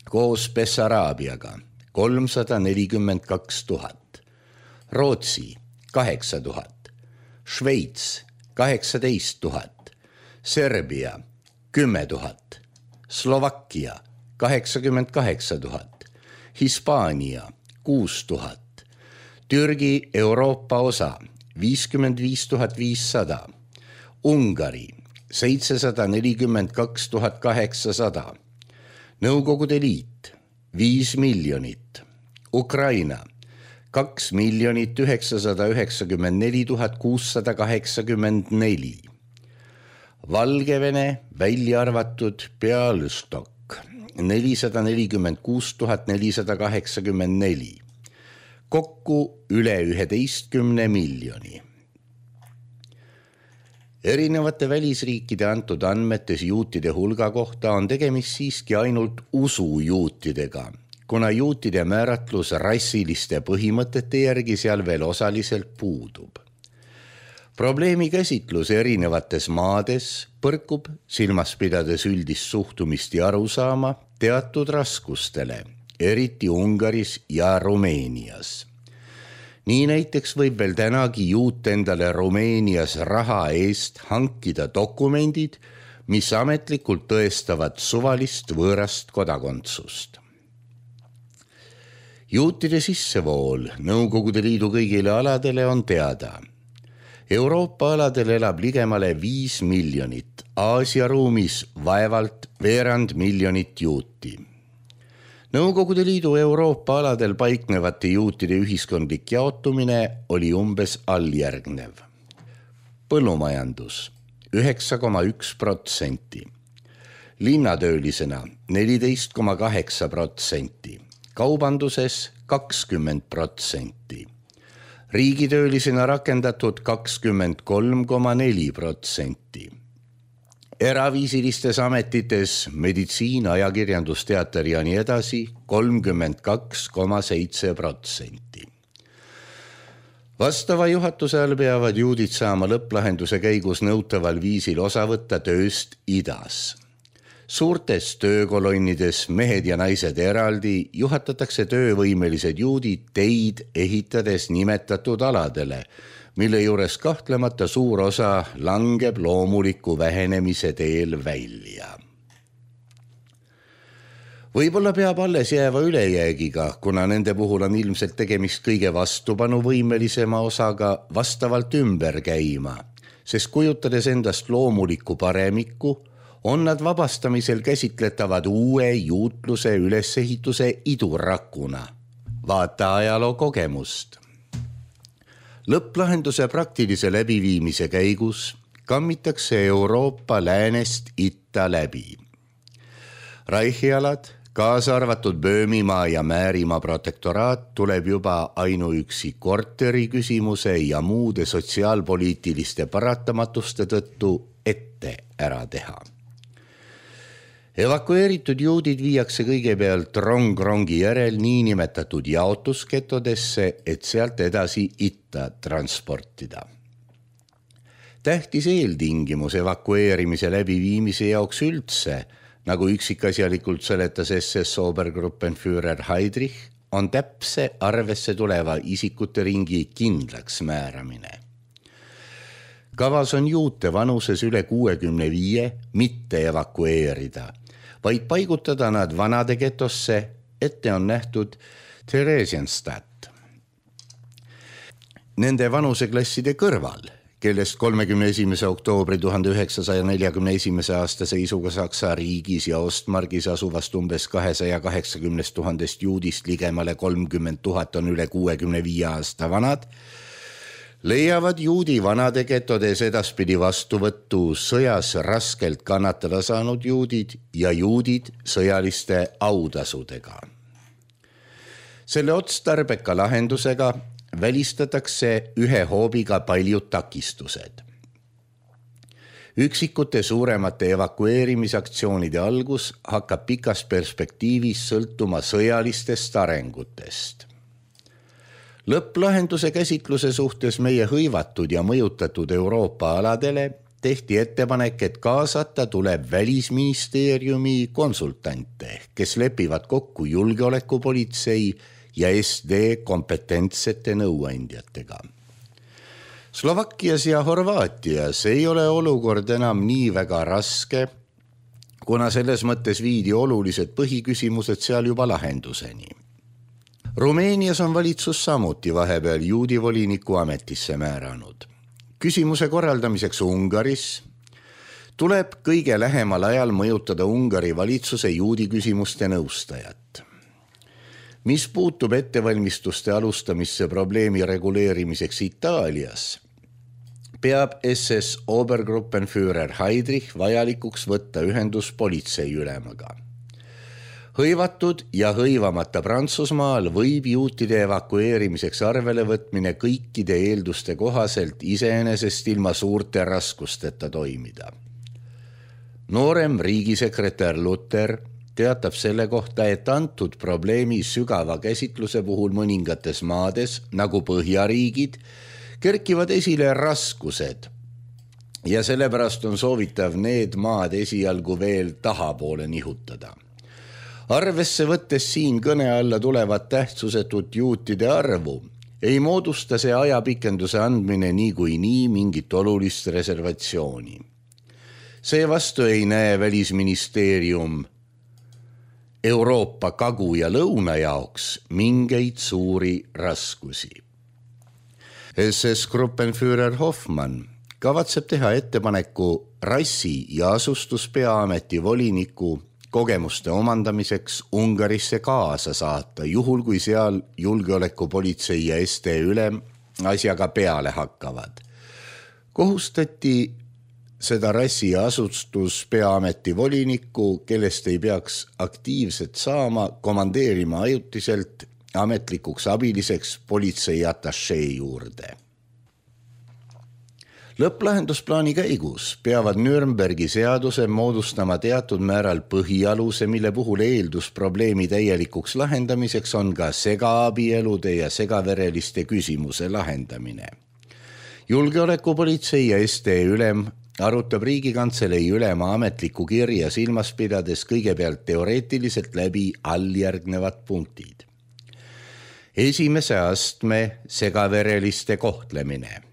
koos Bessaraabiaga kolmsada nelikümmend kaks tuhat, Rootsi kaheksa tuhat, Šveits kaheksateist tuhat, Serbia kümme tuhat, Slovakkia kaheksakümmend kaheksa tuhat, Hispaania kuus tuhat, Türgi Euroopa osa viiskümmend viis tuhat viissada, Ungari seitsesada nelikümmend kaks tuhat kaheksasada, Nõukogude Liit viis miljonit, Ukraina kaks miljonit üheksasada üheksakümmend neli tuhat kuussada kaheksakümmend neli, Valgevene välja arvatud Pealistok nelisada nelikümmend kuus tuhat nelisada kaheksakümmend neli, kokku üle üheteistkümne miljoni. Erinevate välisriikide antud andmetes juutide hulga kohta on tegemist siiski ainult usujuutidega, kuna juutide määratlus rassiliste põhimõtete järgi seal veel osaliselt puudub. Probleemi käsitlus erinevates maades põrkub, silmas pidades üldist suhtumist ja arusaama, teatud raskustele, eriti Ungaris ja Rumeenias. Nii näiteks võib veel tänagi juut endale Rumeenias raha eest hankida dokumendid, mis ametlikult tõestavad suvalist võõrast kodakondsust. Juutide sissevool Nõukogude Liidu kõigile aladele on teada. Euroopa aladel elab ligemale viis miljonit, Aasia ruumis vaevalt veerand miljonit juuti. Nõukogude Liidu Euroopa aladel paiknevate juutide ühiskondlik jaotumine oli umbes alljärgnev. Põllumajandus üheksa koma üks protsenti, linnatöölisena neliteist koma kaheksa protsenti, kaubanduses kakskümmend protsenti, riigitöölisena rakendatud kakskümmend kolm koma neli protsenti, eraviisilistes ametites meditsiin, ajakirjandus, teater ja nii edasi kolmkümmend kaks koma seitse protsenti. Vastava juhatuse all peavad juudid saama lõpplahenduse käigus nõutaval viisil osa võtta tööst idas. Suurtes töökolonnides mehed ja naised eraldi juhatatakse töövõimelised juudid teid ehitades nimetatud aladele, mille juures kahtlemata suur osa langeb loomuliku vähenemise teel välja. Võib-olla peab alles jääva ülejäägiga, kuna nende puhul on ilmselt tegemist kõige vastupanuvõimelisema osaga vastavalt ümber käima, sest kujutades endast loomulikku paremikku, on nad vabastamisel käsitletavad uue juutluse ülesehituse idurakuna. Vaata ajaloo kogemust. Lõpplahenduse praktilise läbiviimise käigus kammitakse Euroopa läänest itta läbi. Reichialad, kaasa arvatud Böömimaa ja Määrimaa protektoraat tuleb juba ainuüksi korteri küsimuse ja muude sotsiaalpoliitiliste paratamatuste tõttu ette ära teha. Evakueeritud juudid viiakse kõigepealt rong-rongi järel niinimetatud jaotusketodesse, et sealt edasi itta transportida. Tähtis eeltingimus evakueerimise läbiviimise jaoks üldse, nagu üksikasjalikult seletas S S Obergruppenführer Heydrich, on täpse arvesse tuleva isikute ringi kindlaks määramine. Kavas on juute vanuses üle kuuekümne viie mitte evakueerida, vaid paigutada nad vanade getosse, ette on nähtud Theresienstadt. Nende vanuseklasside kõrval, kellest kolmekümne esimese oktoobri tuhande üheksasaja neljakümne esimese aasta seisuga Saksa riigis ja Ostmargis asuvast umbes kahesaja kaheksakümnest tuhandest juudist ligemale kolmkümmend tuhat on üle kuuekümne viie aasta vanad, leiavad juudi vanade getodes edaspidi vastuvõttu sõjas raskelt kannatada saanud juudid ja juudid sõjaliste autasudega. Selle otstarbeka lahendusega välistatakse ühe hoobiga paljud takistused. Üksikute suuremate evakueerimisaktsioonide algus hakkab pikas perspektiivis sõltuma sõjalistest arengutest. Lõpplahenduse käsitluse suhtes meie hõivatud ja mõjutatud Euroopa aladele tehti ettepanek, et kaasata tuleb Välisministeeriumi konsultante, kes lepivad kokku julgeolekupolitsei ja S D kompetentsete nõuandjatega. Slovakkias ja Horvaatias ei ole olukord enam nii väga raske, kuna selles mõttes viidi olulised põhiküsimused seal juba lahenduseni. Rumeenias on valitsus samuti vahepeal juudi voliniku ametisse määranud. Küsimuse korraldamiseks Ungaris tuleb kõige lähemal ajal mõjutada Ungari valitsuse juudi küsimuste nõustajat. Mis puutub ettevalmistuste alustamisse probleemi reguleerimiseks Itaalias, peab S S Obergruppenführer Heydrich vajalikuks võtta ühendus politseiülemaga. Hõivatud ja hõivamata Prantsusmaal võib juutide evakueerimiseks arvele võtmine kõikide eelduste kohaselt iseenesest ilma suurte raskusteta toimida. Noorem riigisekretär Luther teatab selle kohta, et antud probleemi sügava käsitluse puhul mõningates maades, nagu Põhjariigid, kerkivad esile raskused ja sellepärast on soovitav need maad esialgu veel tahapoole nihutada. Arvesse võttes siin kõne alla tulevat tähtsusetut juutide arvu, ei moodusta see ajapikenduse andmine nii kui nii mingit olulist reservatsiooni. Seevastu ei näe Välisministeerium Euroopa kagu ja lõuna jaoks mingeid suuri raskusi. S S Gruppenführer Hoffmann kavatseb teha ettepaneku rassi- ja asustuspeaameti voliniku kogemuste omandamiseks Ungarisse kaasa saata, juhul kui seal julgeolekupolitsei ja S T ülem asjaga peale hakkavad. Kohustati seda rassi- ja asustuspeaameti volinikku, kellest ei peaks aktiivselt saama, komandeerima ajutiselt ametlikuks abiliseks politsei atašee juurde. Lõpplahendusplaani käigus peavad Nürnbergi seaduse moodustama teatud määral põhialuse, mille puhul eeldus probleemi täielikuks lahendamiseks on ka segaabielude ja segavereliste küsimuse lahendamine. Julgeolekupolitsei ja S T ülem arutab Riigikantselei ülema ametliku kirja silmas pidades kõigepealt teoreetiliselt läbi alljärgnevad punktid. Esimese astme segavereliste kohtlemine.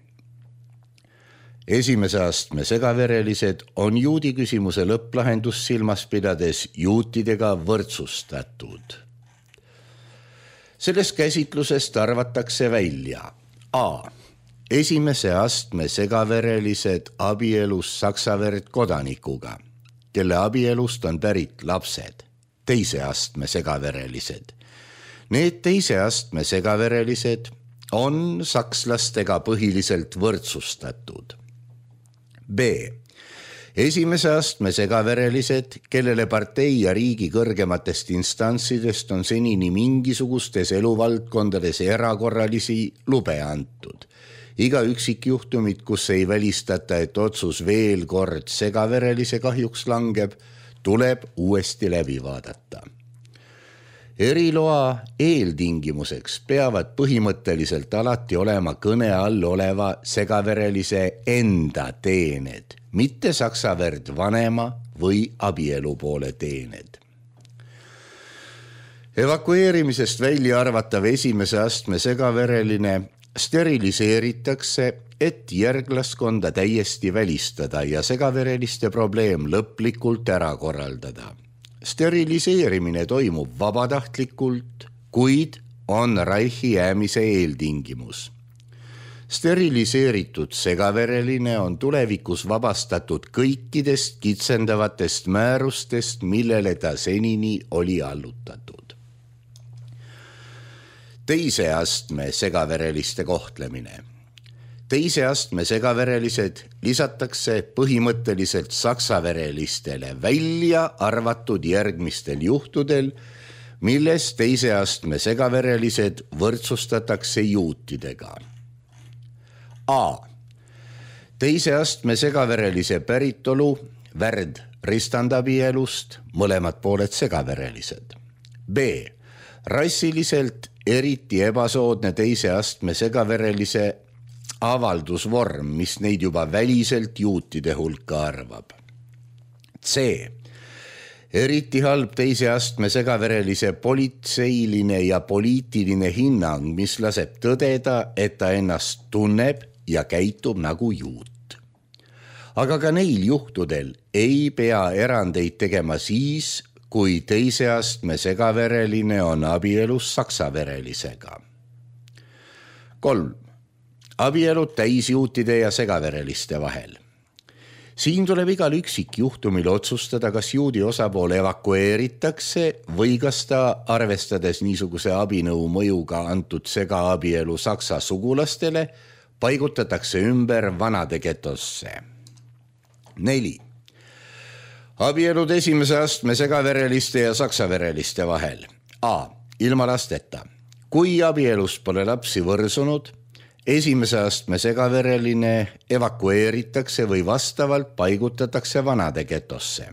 Esimese astme segaverelised on juudi küsimuse lõpplahendus silmas pidades juutidega võrdsustatud. Sellest käsitlusest arvatakse välja A. Esimese astme segaverelised abielus saksaverd kodanikuga, kelle abielust on pärit lapsed. Teise astme segaverelised. Need teise astme segaverelised on sakslastega põhiliselt võrdsustatud. B. Esimese astme segaverelised, kellele partei ja riigi kõrgematest instantsidest on senini mingisugustes eluvaldkondades erakorralisi lube antud. Iga üksikjuhtumit, kus ei välistata, et otsus veel kord segaverelise kahjuks langeb, tuleb uuesti läbi vaadata. Eriloa eeltingimuseks peavad põhimõtteliselt alati olema kõne all oleva segaverelise enda teened, mitte saksaverd vanema või abielupoole teened. Evakueerimisest välja arvatav esimese astme segavereline steriliseeritakse, et järglaskonda täiesti välistada ja segavereliste probleem lõplikult ära korraldada. Steriliseerimine toimub vabatahtlikult, kuid on Reichi jäämise eeltingimus. Steriliseeritud segavereline on tulevikus vabastatud kõikidest kitsendavatest määrustest, millele ta senini oli allutatud. Teise astme segavereliste kohtlemine. Teise astme segaverelised lisatakse põhimõtteliselt saksaverelistele välja arvatud järgmistel juhtudel, milles teise astme segaverelised võrdsustatakse juutidega. A. Teise astme segaverelise päritolu värd ristandabielust, mõlemad pooled segaverelised. B. Rassiliselt eriti ebasoodne teise astme segaverelise avaldusvorm, mis neid juba väliselt juutide hulka arvab. C. Eriti halb teise astme segaverelise politseiline ja poliitiline hinnang, mis laseb tõdeda, et ta ennast tunneb ja käitub nagu juut. Aga ka neil juhtudel ei pea erandeid tegema siis, kui teise astme segavereline on abielus saksaverelisega. Kolm. Abielud täisjuutide ja segavereliste vahel. Siin tuleb igal üksikjuhtumil otsustada, kas juudi osapool evakueeritakse või kas ta, arvestades niisuguse abinõu mõjuga antud segaabielu saksa sugulastele, paigutatakse ümber vanade getosse. Neli. Abielud esimese astme segavereliste ja saksavereliste vahel. A. Ilma lasteta. Kui abielust pole lapsi võrsunud, esimese astme segavereline evakueeritakse või vastavalt paigutatakse vanade getosse.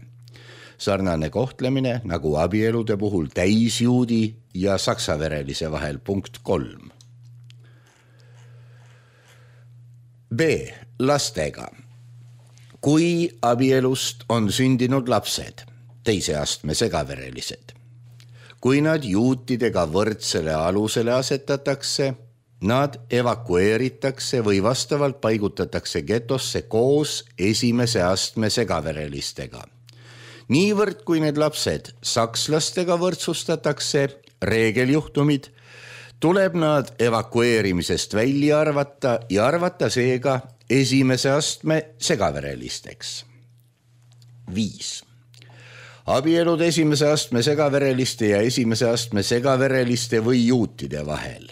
Sarnane kohtlemine nagu abielude puhul täisjuudi ja saksaverelise vahel. Punkt kolm. B. Lastega. Kui abielust on sündinud lapsed, teise astme segaverelised, kui nad juutidega võrdsele alusele asetatakse, nad evakueeritakse või vastavalt paigutatakse getosse koos esimese astme segaverelistega. Niivõrd, kui need lapsed sakslastega võrdsustatakse, reegeljuhtumid, tuleb nad evakueerimisest välja arvata ja arvata seega esimese astme segaverelisteks. Viis. Abielud esimese astme segavereliste ja esimese astme segavereliste või juutide vahel.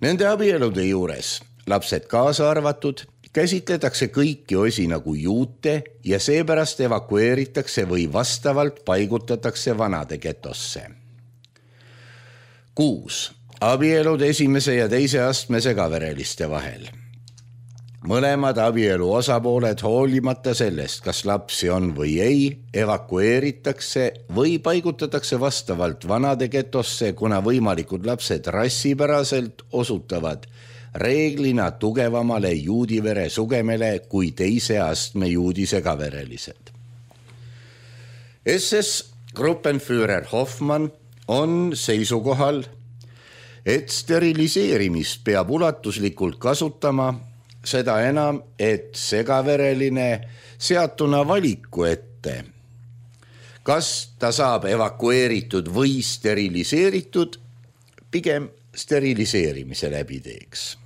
Nende abielude juures, lapsed kaasa arvatud, käsitletakse kõiki osi nagu juute ja seepärast evakueeritakse või vastavalt paigutatakse vanade getosse. Kuus. Abielud esimese ja teise astme segavereliste vahel. Mõlemad abielu osapooled hoolimata sellest, kas lapsi on või ei, evakueeritakse või paigutatakse vastavalt vanade getosse, kuna võimalikud lapsed rassipäraselt osutavad reeglina tugevamale juudivere sugemele kui teise astme juudi segaverelised. S S Gruppenführer Hoffmann on seisukohal, et steriliseerimist peab ulatuslikult kasutama, seda enam, et segavereline seatuna valiku ette. Kas ta saab evakueeritud või steriliseeritud, pigem steriliseerimise läbi teeks.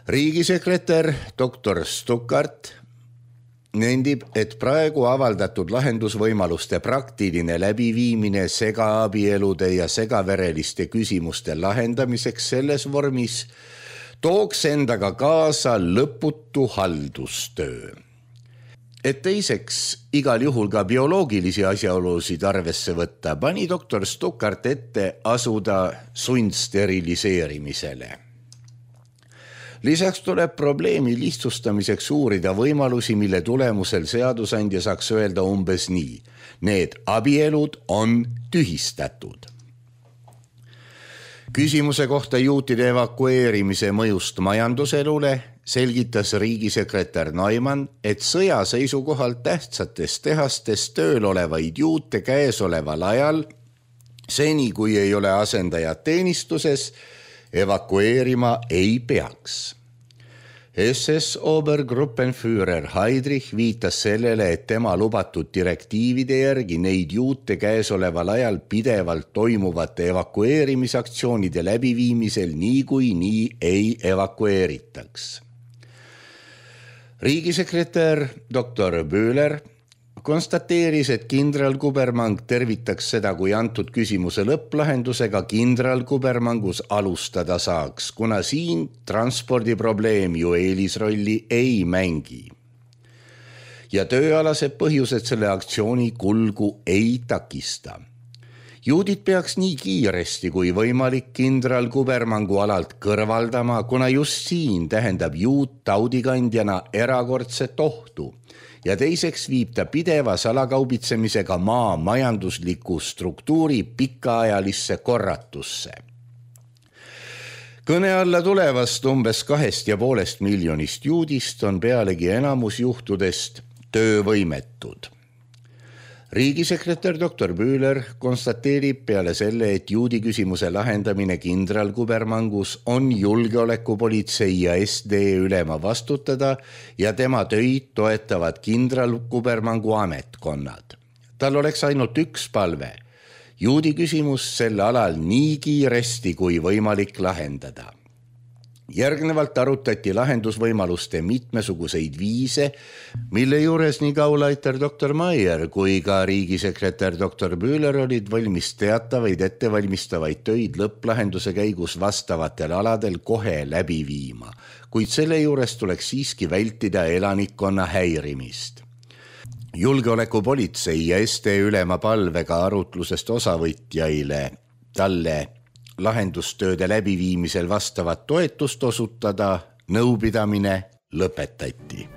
Riigisekretär doktor Stuckart nendib, et praegu avaldatud lahendusvõimaluste praktiline läbiviimine segaabielude ja segavereliste küsimuste lahendamiseks selles vormis tooks endaga kaasa lõputu haldustöö. Et teiseks igal juhul ka bioloogilisi asjaolusid arvesse võtta, pani doktor Stuckart ette asuda sundsteriliseerimisele. Lisaks tuleb probleemi lihtsustamiseks uurida võimalusi, mille tulemusel seadusandja saaks öelda umbes nii. Need abielud on tühistatud. Küsimuse kohta juutide evakueerimise mõjust majanduselule selgitas riigisekretär Neumann, et sõja seisukohalt tähtsates tehastes tööl olevaid juute käesoleval ajal, seni kui ei ole asendajad teenistuses, evakueerima ei peaks. S S Obergruppenführer Heydrich viitas sellele, et tema lubatud direktiivide järgi neid juute käesoleval ajal pidevalt toimuvate evakueerimisaktsioonide läbiviimisel nii kui nii ei evakueeritaks. Riigisekretär doktor Böhler konstateeris, et kindral Kubermang tervitaks seda, kui antud küsimuse lõpplahendusega kindral Kubermangus alustada saaks, kuna siin transpordiprobleem ju eelisrolli ei mängi. Ja tööalased põhjused selle aktsiooni kulgu ei takista. Juudid peaks nii kiiresti kui võimalik kindral Kubermangu alalt kõrvaldama, kuna just siin tähendab juut taudikandjana erakordset ohtu. Ja teiseks viib ta pideva salakaubitsemisega maa majandusliku struktuuri pikaajalisse korratusse. Kõne alla tulevast umbes kahest ja poolest miljonist juudist on pealegi enamus juhtudest töövõimetud. Riigisekretär doktor Böhler konstateerib peale selle, et juudi küsimuse lahendamine kindral Kubermangus on julgeolekupolitsei ja S D ülema vastutada ja tema töid toetavad kindral Kubermangu ametkonnad. Tal oleks ainult üks palve. Juudi küsimus selle alal nii kiiresti kui võimalik lahendada. Järgnevalt arutati lahendusvõimaluste mitmesuguseid viise, mille juures nii Gauleiter doktor Maier kui ka riigisekretär doktor Böhler olid valmis teatavaid ettevalmistavaid töid lõpplahenduse käigus vastavatel aladel kohe läbi viima, kuid selle juures tuleks siiski vältida elanikkonna häirimist. Julgeolekupolitsei ja S D ülema palvega arutlusest osavõtjaile talle lahendustööde läbiviimisel vastavat toetust osutada, nõupidamine lõpetati.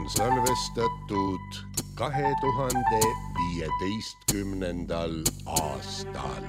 on salvestatud kahe tuhande viieteistkümnendal aastal.